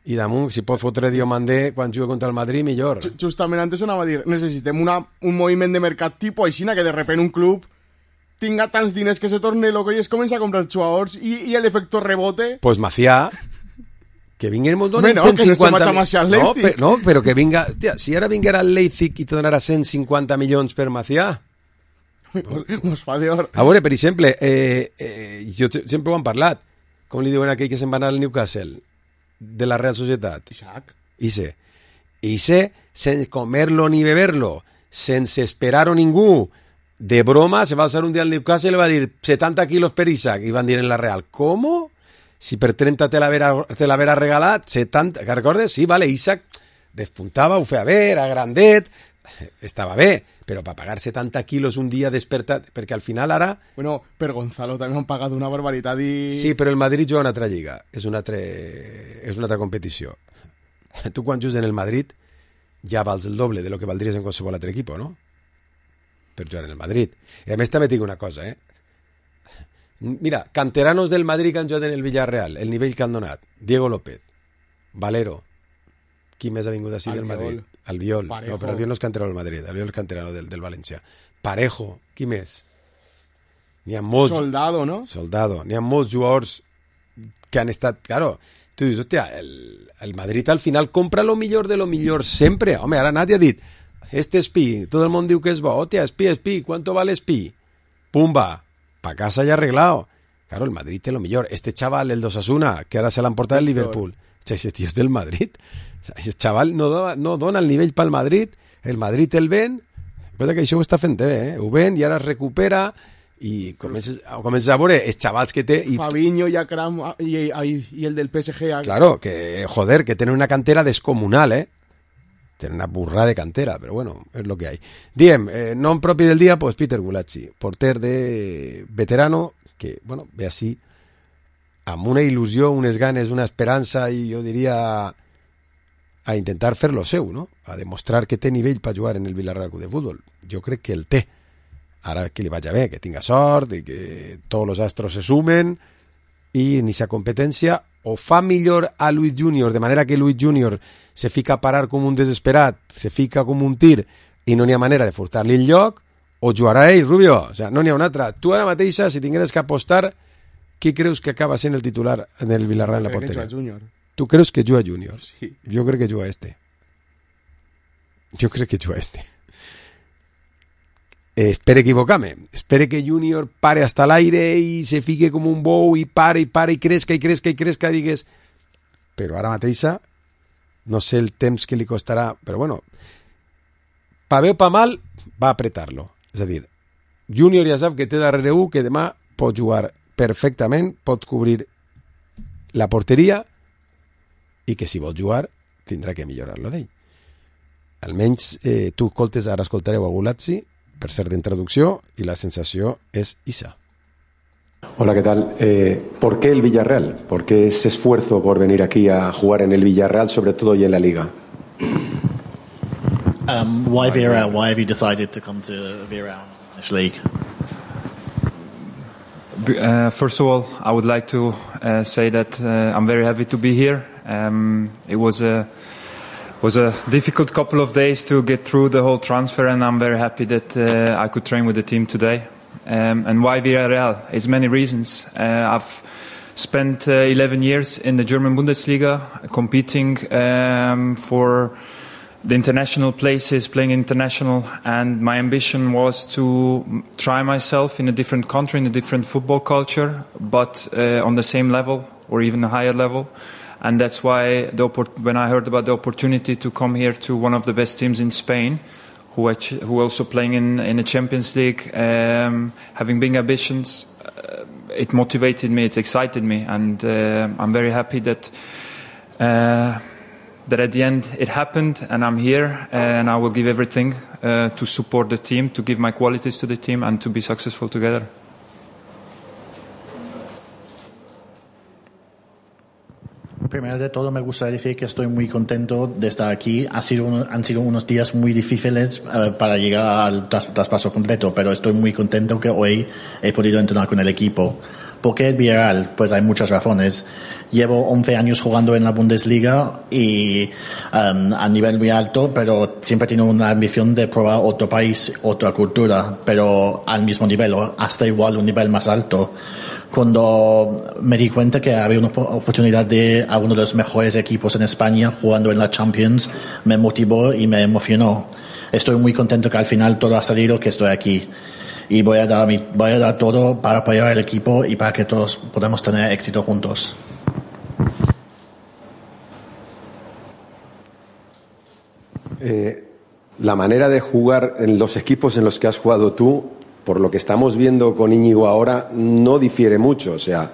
I damunt, si pot fotre Diomandé quan jugui contra el Madrid, millor. Justament antes anava a dir, necessitem una, un moviment de mercat tipus així, que de repente un club tinga tants diners que se torne loco i es comença a comprar jugadors i, i l'efecte rebote... Pues Macià, que vinguin molt donen no, cent cinquanta... Que no, no, per, no, però que vinga... Hòstia, si ara vinguera el Leipzig i te donarà cent cinquanta milions per Macià... Mos fa d'or. A veure, per exemple, eh, eh, jo sempre ho han parlat, com li diuen aquell que se'n va anar al Newcastle, de la Real Societat. Isaac. Ise. Ise, sense comerlo ni beberlo, sense esperar-ho ningú. De broma, se va alçar un dia al Newcastle i le va dir setanta quilos per Isaac. I van dir en la Real, ¿cómo? Si per trenta te l'havera regalat, setanta... Que recordes? Sí, vale, Isaac despuntava, ho feia bé, era grandet, estava bé, però per pagar setanta quilos un dia despertat, perquè al final ara... Bueno, per Gonzalo també han pagat una barbaritat i... Sí, però el Madrid juga una altra lliga, és una altra, és una altra competició. Tu quan jugues en el Madrid ja vals el doble de lo que valdries en qualsevol altre equip, no? Per jugar en el Madrid. I a més també tinc una cosa, eh? Mira, canteranos del Madrid que han jugat en el Villarreal, el nivell que han donat. Diego López, Valero, qui més ha vingut així del Madrid? Albiol, Parejo. No, però Albiol no és canterano del Madrid, Albiol és canterano del, del València. Parejo, qui més? N'hi ha molts... Soldado, no? Soldado, n'hi ha molts jugadors que han estat... Claro, tu dius, hòstia, el, el Madrid al final compra lo millor de lo millor sempre. Home, ara nadie ha dit, este Espí, tot el món diu que és bo, hòstia, Espí, Espí, ¿cuánto vale Espí? Pumba, pa casa ya arreglado. Claro, el Madrid té lo millor. Este chaval, el d'Osasuna, que ara se l'han portat al Liverpool, ese tío és del Madrid. El xaval no, do, no dona el nivell pel Madrid, el Madrid el ven, però que això ho està fent bé, eh? Ho ven i ara es recupera i comences, comences a veure els xavals que té... I Fabinho i Akram i, i, i el del P S G. Claro, que joder, que tenen una cantera descomunal, eh? Tenen una burrada de cantera, però bueno, és lo que hay. Diem, eh, nom propi del dia, pues Peter Gulacsi, porter de veterano, que, bueno, ve així, amb una il·lusió, unes ganes, una esperança i jo diria... a intentar fer lo seu, no? A demostrar que té nivell per jugar en el Villarreal Club de Futbol. Jo crec que el té. Ara que li vagi bé, que tinga sort i que tots els astros se sumen i ni sa competència o fa millor a Luis Junior, de manera que Luis Junior se fica a parar com un desesperat, se fica com un tir i no n'hi ha manera de furtar-li el lloc, o jugarà ell, Rubio, o sea, no n'hi ha una altra. Tu ara mateixa, si tingueres que apostar, qui creus que acaba sent el titular en el Villarreal en la porteria? Tu creus que juga Júnior? Sí. Jo crec que juga este. Jo crec que juga este. Eh, espere equivocar-me. Espere que Júnior pare hasta l'aire i se fique com un bou i pare i pare i cresca i cresca i cresca i digues... Però ara mateixa no sé el temps que li costarà, però bueno, pa bé o pa mal va apretar-lo. És a dir, Júnior ja sap que té darrere un que demà pot jugar perfectament, pot cobrir la porteria i que si vol jugar tindrà que millorar-lo d'ell. Almenys eh, tu escoltes, ara escoltareu a Gulazzi per ser d'introducció i la sensació és Isa. Hola, ¿qué tal? Eh, ¿Por qué el Villarreal? ¿Por qué ese esfuerzo por venir aquí a jugar en el Villarreal, sobre todo y en la Liga? Um, why Villarreal? Why have you decided to come to Villarreal League? Uh, first of all, I would like to uh, say that uh, I'm very happy to be here. Um, it was a was a difficult couple of days to get through the whole transfer, and I'm very happy that uh, I could train with the team today. Um, and why Villarreal? It's many reasons. Uh, I've spent uh, eleven years in the German Bundesliga, competing um, for the international places, playing international, and my ambition was to try myself in a different country, in a different football culture, but uh, on the same level or even a higher level. And that's why the, when I heard about the opportunity to come here to one of the best teams in Spain, who actually, who also playing in in the Champions League, um, having big ambitions, uh, it motivated me, it excited me, and uh, I'm very happy that uh, that at the end it happened, and I'm here, and I will give everything uh, to support the team, to give my qualities to the team, and to be successful together. Primero de todo, me gustaría decir que estoy muy contento de estar aquí. Ha sido un, han sido unos días muy difíciles uh, para llegar al tras, traspaso completo, pero estoy muy contento que hoy he podido entrenar con el equipo. ¿Por qué el Villarreal? Pues hay muchas razones. Llevo once años jugando en la Bundesliga y um, a nivel muy alto, pero siempre he tenido una ambición de probar otro país, otra cultura, pero al mismo nivel, o hasta igual un nivel más alto. Cuando me di cuenta que había una oportunidad de a uno de los mejores equipos en España jugando en la Champions, me motivó y me emocionó. Estoy muy contento que al final todo ha salido, que estoy aquí. Y voy a dar, mi, voy a dar todo para apoyar al equipo y para que todos podamos tener éxito juntos. Eh, la manera de jugar en los equipos en los que has jugado tú, por lo que estamos viendo con Íñigo ahora, no difiere mucho. O sea,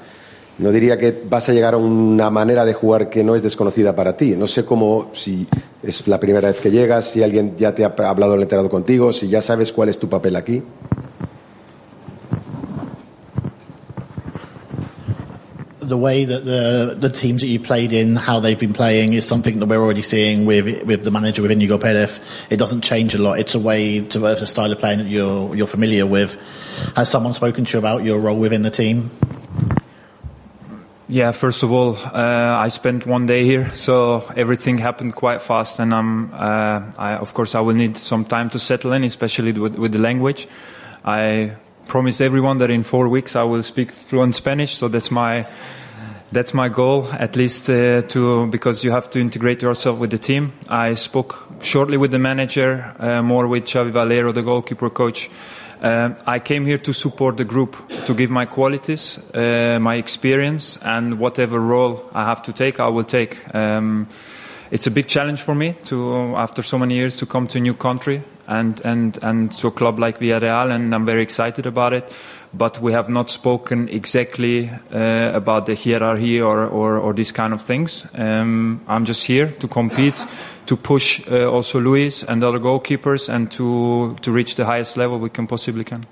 no diría que vas a llegar a una manera de jugar que no es desconocida para ti. No sé cómo, si es la primera vez que llegas, si alguien ya te ha hablado, el entrenador contigo, si ya sabes cuál es tu papel aquí. The way that the the teams that you played in, how they've been playing, is something that we're already seeing with with the manager, with Íñigo Pérez. It doesn't change a lot. It's a way to it's a style of playing that you're you're familiar with. Has someone spoken to you about your role within the team? Yeah, first of all, uh, I spent one day here, so everything happened quite fast, and I'm, uh, I, of course, I will need some time to settle in, especially with, with the language. I promised everyone that in four weeks I will speak fluent Spanish, so that's my that's my goal, at least uh, to because you have to integrate yourself with the team. I spoke shortly with the manager, uh, more with Xavi Valero, the goalkeeper coach. Uh, I came here to support the group, to give my qualities, uh, my experience, and whatever role I have to take, I will take. Um, it's a big challenge for me to, after so many years, to come to a new country and, and, and to a club like Villarreal, and I'm very excited about it. But we have not spoken exactly uh, about the hierarchy or, or, or these kind of things. Um, I'm just here to compete, to push uh, also Luis and other goalkeepers, and to, to reach the highest level we can possibly can.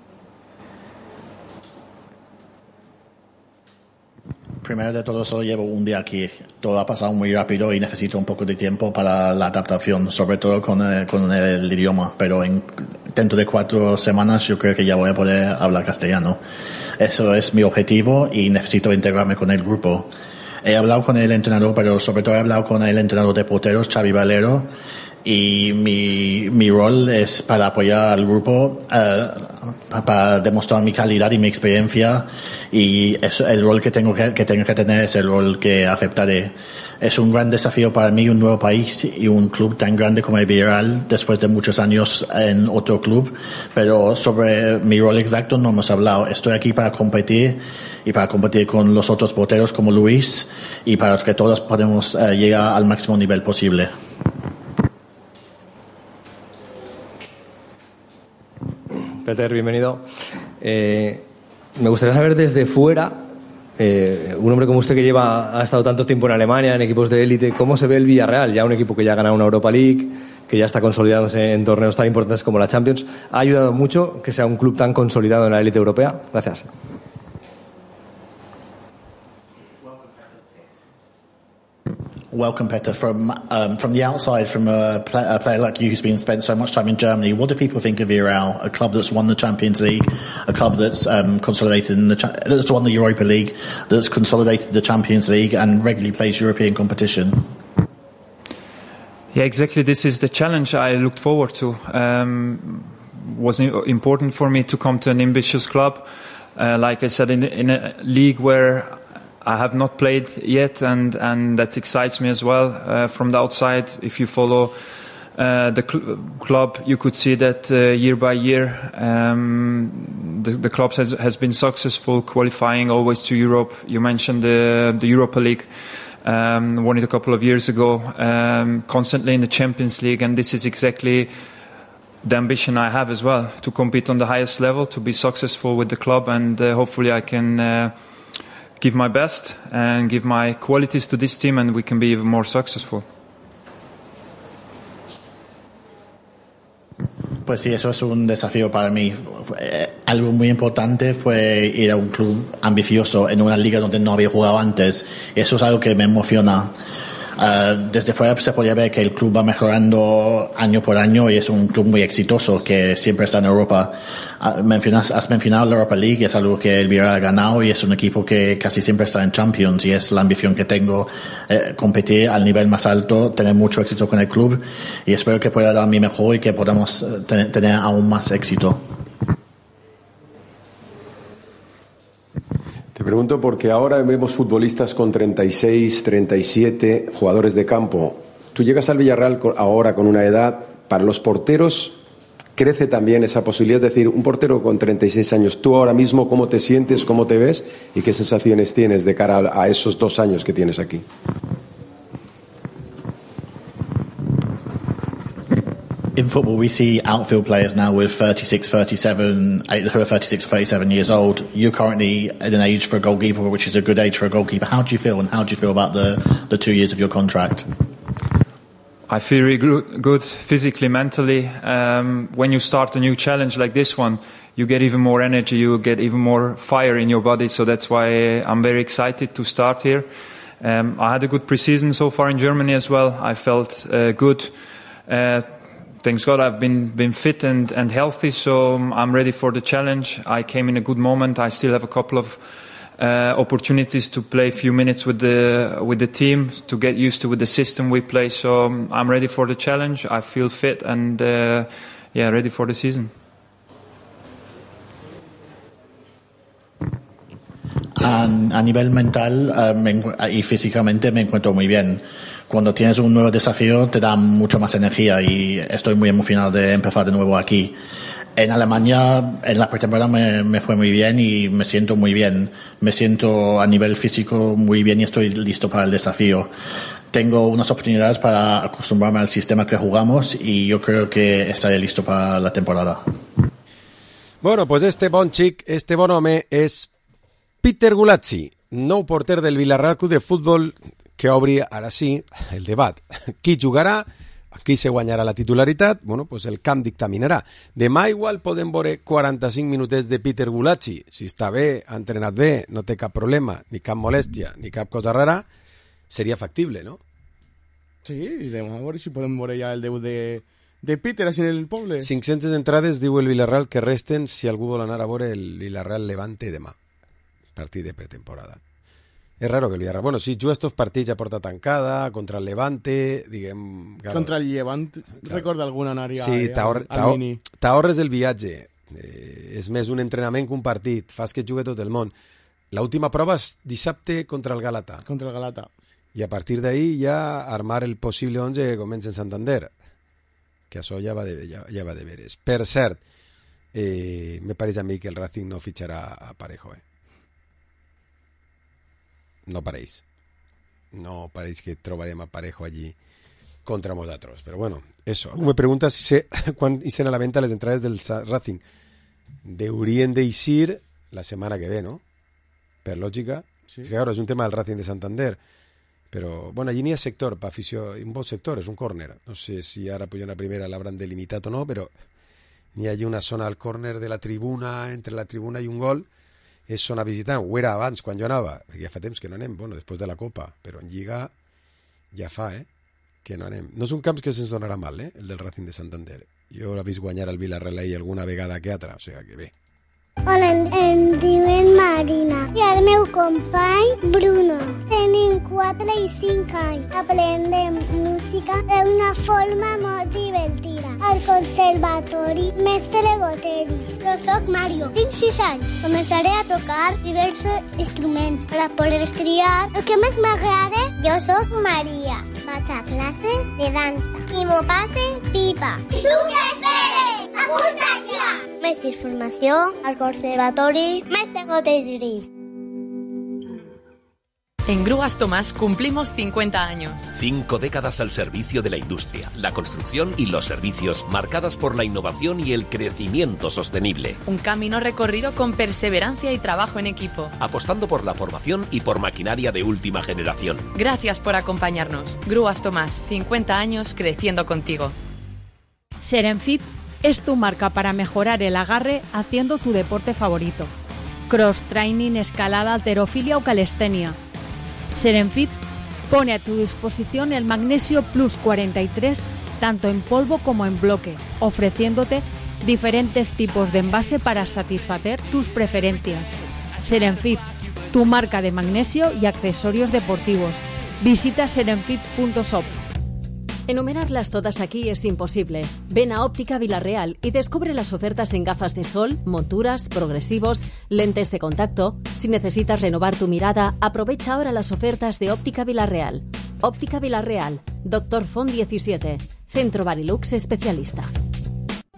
Primero de todo, solo llevo un día aquí. Todo ha pasado muy rápido y necesito un poco de tiempo para la adaptación, sobre todo con el, con el idioma. Pero en, dentro de cuatro semanas yo creo que ya voy a poder hablar castellano. Eso es mi objetivo y necesito integrarme con el grupo. He hablado con el entrenador, pero sobre todo he hablado con el entrenador de porteros, Xavi Valero, y mi, mi rol es para apoyar al grupo, uh, para demostrar mi calidad y mi experiencia, y es el rol que tengo que, que tengo que tener es el rol que aceptaré. Es un gran desafío para mí, un nuevo país y un club tan grande como el Villarreal después de muchos años en otro club, pero sobre mi rol exacto no hemos hablado. Estoy aquí para competir y para competir con los otros porteros como Luis y para que todos podamos uh, llegar al máximo nivel posible. Peter, bienvenido. Eh, me gustaría saber desde fuera, eh, un hombre como usted que lleva ha estado tanto tiempo en Alemania, en equipos de élite, ¿cómo se ve el Villarreal? Ya un equipo que ya ha ganado una Europa League, que ya está consolidándose en torneos tan importantes como la Champions. ¿Ha ayudado mucho que sea un club tan consolidado en la élite europea? Gracias. Welcome, Peter. From um, from the outside, from a, play, a player like you who's been spent so much time in Germany, what do people think of Villarreal? A club that's won the Champions League, a club that's um, consolidated in the cha- that's won the Europa League, that's consolidated the Champions League, and regularly plays European competition. Yeah, exactly. This is the challenge I looked forward to. Um, was important for me to come to an ambitious club, uh, like I said, in, in a league where I have not played yet, and, and that excites me as well. Uh, from the outside, if you follow uh, the cl- club, you could see that uh, year by year um, the, the club has, has been successful, qualifying always to Europe. You mentioned the, the Europa League, um, won it a couple of years ago, um, constantly in the Champions League, and this is exactly the ambition I have as well, to compete on the highest level, to be successful with the club, and uh, hopefully I can uh, give my best and give my qualities to this team, and we can be even more successful. Pues sí, eso es un desafío para mí. Eh, algo muy importante fue ir a un club ambicioso en una liga donde no había jugado antes. Eso es algo que me emociona. Uh, desde fuera se podía ver que el club va mejorando año por año y es un club muy exitoso que siempre está en Europa. Uh, mencionas, has mencionado la Europa League, es algo que el Villarreal ha ganado y es un equipo que casi siempre está en Champions, y es la ambición que tengo, eh, competir al nivel más alto, tener mucho éxito con el club, y espero que pueda dar mi mejor y que podamos eh, ten- tener aún más éxito. Te pregunto porque ahora vemos futbolistas con treinta y seis, treinta y siete, jugadores de campo. Tú llegas al Villarreal ahora con una edad, para los porteros crece también esa posibilidad, es decir, un portero con treinta y seis años, tú ahora mismo, ¿cómo te sientes, cómo te ves y qué sensaciones tienes de cara a esos dos años que tienes aquí? In football, we see outfield players now with thirty-six, thirty-seven, who are thirty-six or thirty-seven years old. You're currently at an age for a goalkeeper, which is a good age for a goalkeeper. How do you feel, and how do you feel about the, the two years of your contract? I feel really good physically, mentally. Um, when you start a new challenge like this one, you get even more energy, you get even more fire in your body. So that's why I'm very excited to start here. Um, I had a good preseason so far in Germany as well. I felt uh, good. Uh, Thanks God I've been been fit and, and healthy, so I'm ready for the challenge. I came in a good moment. I still have a couple of uh, opportunities to play a few minutes with the with the team, to get used to with the system we play. So I'm ready for the challenge. I feel fit and uh, yeah, ready for the season. A, a nivel mental uh, me, y físicamente me encuentro muy bien. Cuando tienes un nuevo desafío te da mucho más energía y estoy muy emocionado de empezar de nuevo aquí. En Alemania, en la pretemporada me, me fue muy bien y me siento muy bien. Me siento a nivel físico muy bien y estoy listo para el desafío. Tengo unas oportunidades para acostumbrarme al sistema que jugamos y yo creo que estaré listo para la temporada. Bueno, pues este bon xic, este bon home és Peter Gulazzi, nou porter del Villarreal Club de Futbol, que obri ara sí el debat. Qui jugarà? Qui se guanyarà la titularitat? Bueno, pues el camp dictaminarà. Demà igual podem veure quaranta-cinc minutets de Peter Gulazzi. Si està bé, ha entrenat bé, no té cap problema, ni cap molèstia, ni cap cosa rara, seria factible, no? Sí, i demà a veure si podem veure ja el debut de, de Peter així en el poble. cinc-centes entrades, diu el Villarreal, que resten si algú vol anar a veure el Villarreal Levante demà. Partit de pretemporada. És raro que el Villarreal... Bueno, sí, juga estos partits a porta tancada, contra el Levante, diguem... Claro. Contra el Levante, claro. Recorda alguna anària sí, al, al mini. T'ahorres el viatge. Eh, és més un entrenament que un partit. Fas que jugui tot el món. L'última prova és dissabte contra el Galata. Contra el Galata. I a partir d'ahí ja armar el possible onze que comença en Santander. Que això ja va de, ja, ja va de veres. Per cert, eh, me pareix a mi que el Racing no fitxarà a Parejo, eh? No pareix. No pareix que trobarem a Parejo allí contra nosaltres. Pero bueno, eso. Algú me pregunta si sé quan ixen a la venta les entrades del Racing. Deurien d'eixir la setmana que ve, no? Per lògica. Sí. És que, claro, és un tema del Racing de Santander. Però, bueno, allí n'hi ha sector, per afició, un bon sector, és un córner. No sé si ara pujant a primera l'hauran delimitat o no, però n'hi ha allí una zona al córner de la tribuna, entre la tribuna i un gol, és zona visitant. Ho era abans, quan jo anava, perquè ja fa temps que no anem, bueno, després de la Copa, però en Lliga ja fa, eh, que no anem. No és un camp que se'ns donarà mal, eh, el del Racing de Santander. Jo l'he vist guanyar al Villarreal alguna vegada que altra, o sigui que bé. Hola, em, em diuen Marina i el meu company Bruno. Tenim quatre i cinc anys. Aprendem música d'una forma molt divertida. Al conservatori Mestre Goteris. Jo soc Mario, tinc sis anys. Començaré a tocar diversos instruments per a poder triar el que més m'agrada. Jo soc Maria. Vaig a classes de dansa i m'ho passe pipa. I tu què esperes? Apunta't ja! Més informació al Conservatori Mestre Goteris. En Grúas Tomás cumplimos cincuenta años. Cinco décadas al servicio de la industria, la construcción y los servicios, marcadas por la innovación y el crecimiento sostenible. Un camino recorrido con perseverancia y trabajo en equipo. Apostando por la formación y por maquinaria de última generación. Gracias por acompañarnos. Grúas Tomás, cincuenta años creciendo contigo. Serenfit es tu marca para mejorar el agarre haciendo tu deporte favorito. Cross training, escalada, halterofilia o calistenia. Serenfit pone a tu disposición el Magnesio Plus cuarenta y tres tanto en polvo como en bloque, ofreciéndote diferentes tipos de envase para satisfacer tus preferencias. Serenfit, tu marca de magnesio y accesorios deportivos. Visita serenfit punto shop. Enumerarlas todas aquí es imposible. Ven a Óptica Villarreal y descubre las ofertas en gafas de sol, monturas, progresivos, lentes de contacto. Si necesitas renovar tu mirada, aprovecha ahora las ofertas de Óptica Villarreal. Óptica Villarreal, Doctor Font diecisiete, Centro Barilux especialista.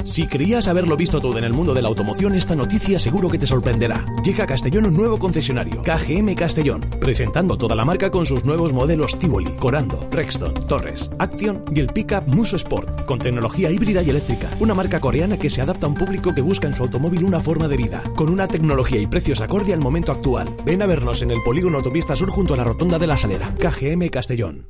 Si creías haberlo visto todo en el mundo de la automoción, esta noticia seguro que te sorprenderá. Llega a Castellón un nuevo concesionario, K G M Castellón, presentando toda la marca con sus nuevos modelos Tivoli, Corando, Rexton, Torres, Action y el pickup Muso Sport, con tecnología híbrida y eléctrica. Una marca coreana que se adapta a un público que busca en su automóvil una forma de vida, con una tecnología y precios acorde al momento actual. Ven a vernos en el polígono Autopista Sur junto a la rotonda de la Salera. K G M Castellón.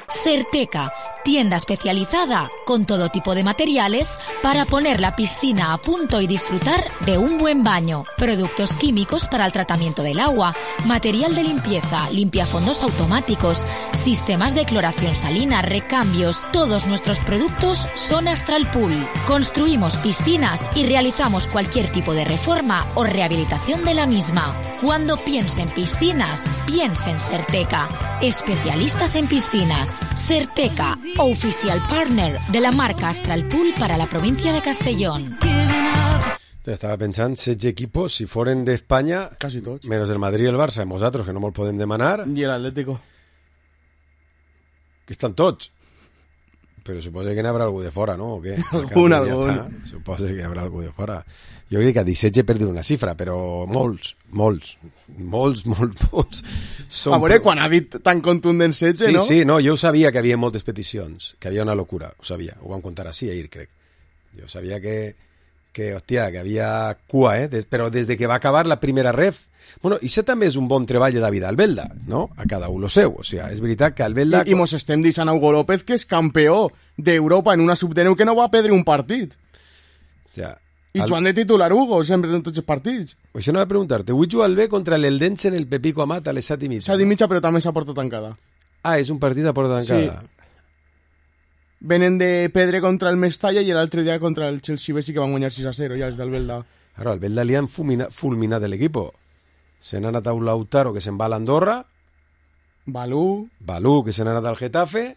Serteca, tienda especializada con todo tipo de materiales para poner la piscina a punto y disfrutar de un buen baño. Productos químicos para el tratamiento del agua, material de limpieza, limpiafondos automáticos, sistemas de cloración salina, recambios. Todos nuestros productos son Astral Pool. Construimos piscinas y realizamos cualquier tipo de reforma o rehabilitación de la misma. Cuando piense en piscinas, piense en Serteca. Especialistas en piscinas. Serteca, oficial partner de la marca Astral Pool para la provincia de Castellón. Estava pensant, setze equipos, si foren d'Espanya, quasi tots, menys el Madrid i el Barça, nosaltres, que no me'l podem demanar. I l'Atlético. Que estan tots. Però suposo que n'hi haurà algú de fora, no? O què? Algun, algun. Suposo que hi haurà algú de fora. Jo crec que a disset he perdut una xifra, però molts, molts, molts, molts, molts. Són... A veure, quan ha dit tan contundent setze, sí, no? Sí, sí, no, jo ho sabia que havia moltes peticions, que havia una locura, ho sabia, ho vam contar així ahir, crec. Jo sabia que, que hòstia, que havia cua, eh? Des, però des de que va acabar la primera ref, bueno, i això també és un bon treball de David Albelda, no? A cada un lo seu, o sigui, és veritat que Albelda... I, i mos estem deixant a Hugo López, que és campió d'Europa en una sub deu que no va perdre un partit. O sigui... I al... Joan de titular Hugo, sempre en tots els partits. Això no va preguntar-te, avui juga el B contra l'Eldense en el Pepico Amat a les set i mitja. set i mitja, però també s'ha portat tancada. Ah, és un partit a porta tancada. Sí. Venen de Pedre contra el Mestalla i l'altre dia contra el Chelsea Bessi, que van guanyar sis a zero, ja els d'Albelda. Claro, Albelda li han fulminat, fulminat l'equip. se n'ha anat a un Lautaro, que se'n va a l'Andorra. Balú. Balú, que se n'ha anat al Getafe.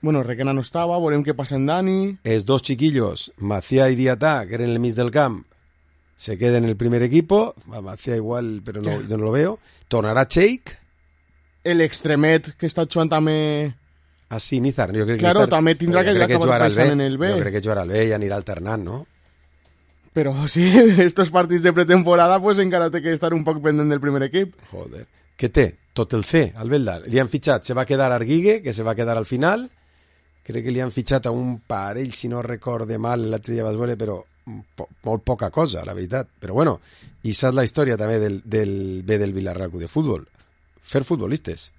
Bueno, Requena no estava, veurem què passa en Dani. Els dos chiquillos, Macià y Diatà, que eren el mig del camp, se queden en el primer equipo. Macià igual, però no, yo no lo veo. Tornarà Cheik. El extremet, que està jugant també... Ah, sí, Nizar. Jo crec que claro, Nizar, també tindrà que acabar pensant en el B. Jo crec que jugarà al B i anirà alternant, no? Però sí, estos partits de pretemporada pues encara té que estar un poc pendent del primer equip. Joder. Què té? Tot el C, al Belda. Li han fitxat, se va quedar Arguigue, que se va quedar al final. Crec que li han fitxat a un parell, si no recorde mal, l'altre dia vas veure, però po molt poca cosa, la veritat. Però bueno, i saps la història també del, del B del Villarreal de Futbol. Fer futbolistes.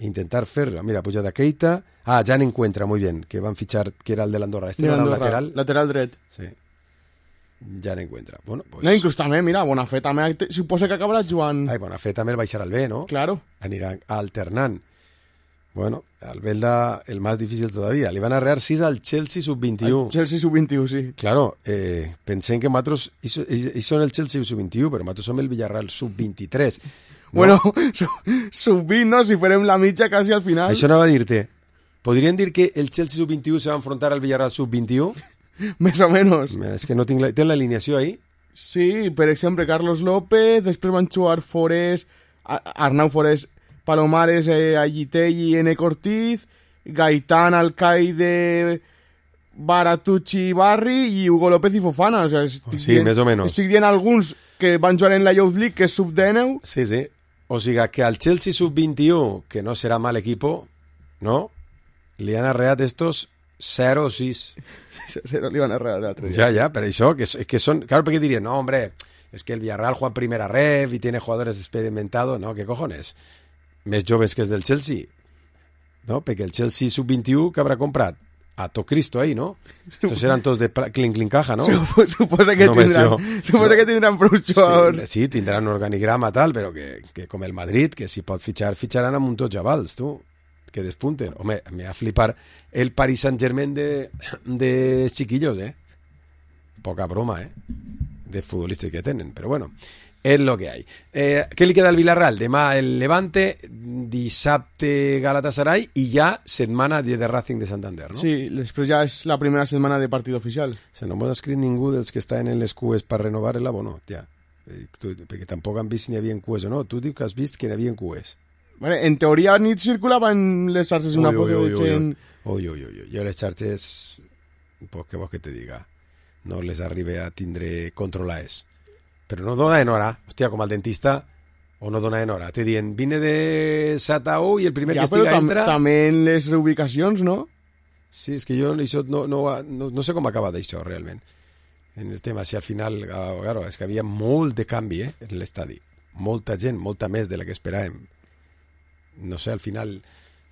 Intentar fer, mira, puja de Keita. Ah, ja n'encuentra, muy bien, que van fichar, que era el de l'Andorra. Este de era el l'Andorra, lateral. Lateral dret. Sí. Ja n'encuentra. Bueno, pues... No, inclús també, mira, Bonafé també suposa que acabarà jugant... Ai, Bonafé també el baixarà al B, ¿no? Claro. Anirà alternant. Bueno, al Belda el más difícil todavía. Le van a arrear sis al Chelsea sub veintiuno. Al Chelsea sub veintiuno, sí. Claro, eh, pensé que nosotros y son el Chelsea sub veintiuno, pero nosotros som el Villarreal sub veintitrés. ¿No? Bueno, sub vint, no? Si farem la mitja quasi al final. Això anava a dir-te. Podrien dir que el Chelsea sub veintiuno se va a enfrontar al Villarreal sub veintiuno? Més o menys. És que no tinc la... Tens l'alineació ahí? Sí, per exemple, Carlos López, després van jugar Forés, Arnau Forés, Palomares, eh, Agitelli, N. Cortiz, Gaitán, Alcaide, Baratucci, Barri i Hugo López i Fofana. O sea, estic sí, dient, més o menys. Estic dient alguns que van jugar en la Youth League, que és sub dinou. Sí, sí. O sigui que al Chelsea sub veintiuno, que no serà mal equipo, ¿no? Li han arreat estos cero sis. cero li van arrear l'altre dia. Ja, ja, per això, que, que son... Claro, perquè dirien, no, hombre, es que el Villarreal juega en primera ref y tiene jugadores experimentados. No, ¿qué cojones? Més joves que els del Chelsea. No, perquè el Chelsea sub veintiuno que habrà comprat a to Cristo ahí, ¿no? Estos eran todos de clink clink caja, ¿no? Suposa que, no tindran, suposa no. que tindran prou jugadors. Sí, sí, tindran un organigrama tal, però que, que com el Madrid, que si pot fitxar, fitxaran amb un tots javals, tu, que despunten. Home, me va a flipar el Paris Saint-Germain de, de chiquillos, eh? Poca broma, eh? De futbolistes que tenen, però bueno, és lo que hay. Eh, què li queda al Villarreal? Demà el Levante, dissabte Galatasaray i ja setmana de Racing de Santander, no? Sí, després ja és la primera setmana de partit oficial. Se no m'ha escrit ningú dels que estan en les cues per renovar l'abono, ja. Perquè tampoc han vist si n'hi havia cues o no. Tu dius que has vist que n'hi havia cues. Bueno, en teoria nit circulaven les xarxes una foto de gent... Ui, ui, ui, jo les xarxes, pues què vols que te diga? No les arribe a tindre controlades. Però no dona en hora, hòstia, com al dentista, o no dona en hora. Te dient, vine de Satau i el primer ja, que estiga tam entra... també en les ubicacions, no? Sí, és que jo això no, no, no, no sé com acaba d'això, realment. En el tema, si al final... Claro, és que havia molt de canvi, eh, en l'estadi. Molta gent, molta més de la que esperàvem. No sé, al final,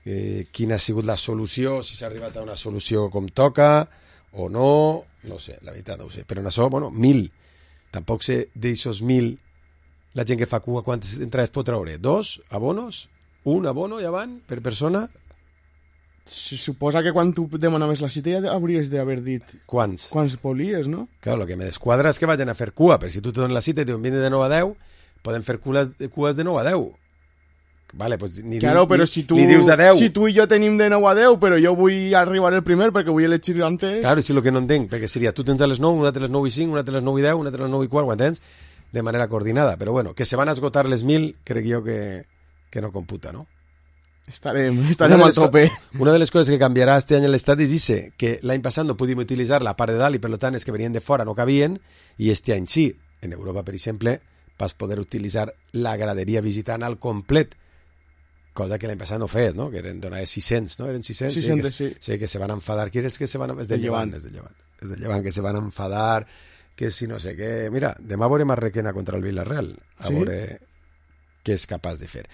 eh, quina ha sigut la solució, si s'ha arribat a una solució com toca, o no... No sé, la veritat no ho sé. Però en això, bueno, mil... Tampoc sé d'aixòs mil la gent que fa cua quantes entrades pot treure? Dos abonos? Un abono ja van per persona? Se suposa que quan tu demanaves la cita ja hauries d'haver dit quants quants volies, no? Claro, lo que me desquadra és que vagin a fer cua, però si tu te dones la cita i te vine de nou a deu, poden fer cues, cues de nou a deu. Vale, pues ni, claro, ni, però si tu, ni dius de deu. Si tu i jo tenim de nou a deu, però jo vull arribar el primer perquè vull elegir antes... Claro, si lo que no entenc, perquè seria tu tens a les nou, una a les nou i cinc, una a les nou i deu, una a les nou i quart, ho entens? De manera coordinada. Però bueno, que se van a esgotar les mil, crec jo que, que no computa, ¿no? Estarem, estarem al tope. Una de les coses que canviarà este any en l'estadi és dice que l'any passat no podíem utilitzar la part de dalt i per tant els que venien de fora no cabien i este any sí. En Europa, per exemple, vas poder utilitzar la graderia visitant al complet, cosa que l'any passat no fes, no? Que eren donar sis-cents, no? Eren sis-cents. sis-cents, sí. Que, sí, que se van enfadar. Qui és que se van... És de Llevant, és de Llevant. És de Llevant, que se van enfadar, que si no sé què... Mira, demà veurem a Requena contra el Villarreal, a sí? veure què és capaç de fer.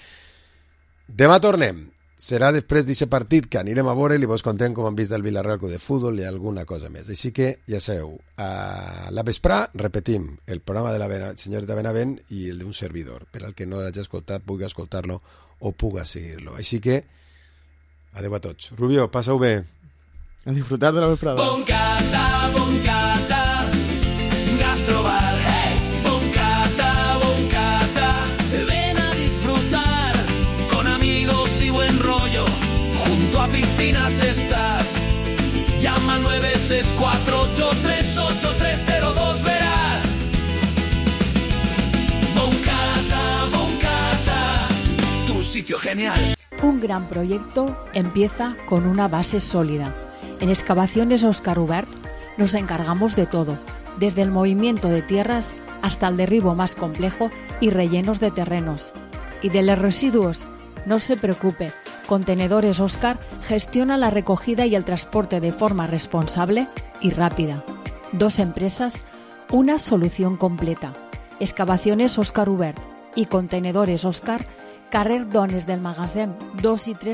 Demà tornem. Serà després d'aquest partit que anirem a veure i vos contem com han vist el Villarreal de futbol i alguna cosa més. Així que, ja sabeu, a la vesprà repetim el programa de la senyoreta Benavent i el d'un servidor, per al que no hagi escoltat pugui escoltar-lo o puga seguir-lo. Així que, adeu a tots. Rubio, passa-ho bé. A disfrutar de la vesprada. Boncata, boncata, gastrobar, hey! Boncata, boncata, cuatro ocho tres ocho tres cero dos verás. Moncada, Moncada, tu sitio genial. Un gran proyecto empieza con una base sólida. En Excavaciones Óscar Ubert nos encargamos de todo, desde el movimiento de tierras hasta el derribo más complejo y rellenos de terrenos. Y de los residuos, no se preocupe, Contenedores Óscar gestiona la recogida y el transporte de forma responsable y rápida. Dos empresas, una solución completa. Excavaciones Óscar Ubert y Contenedores Óscar, carrer Dones del Magasin dos y tres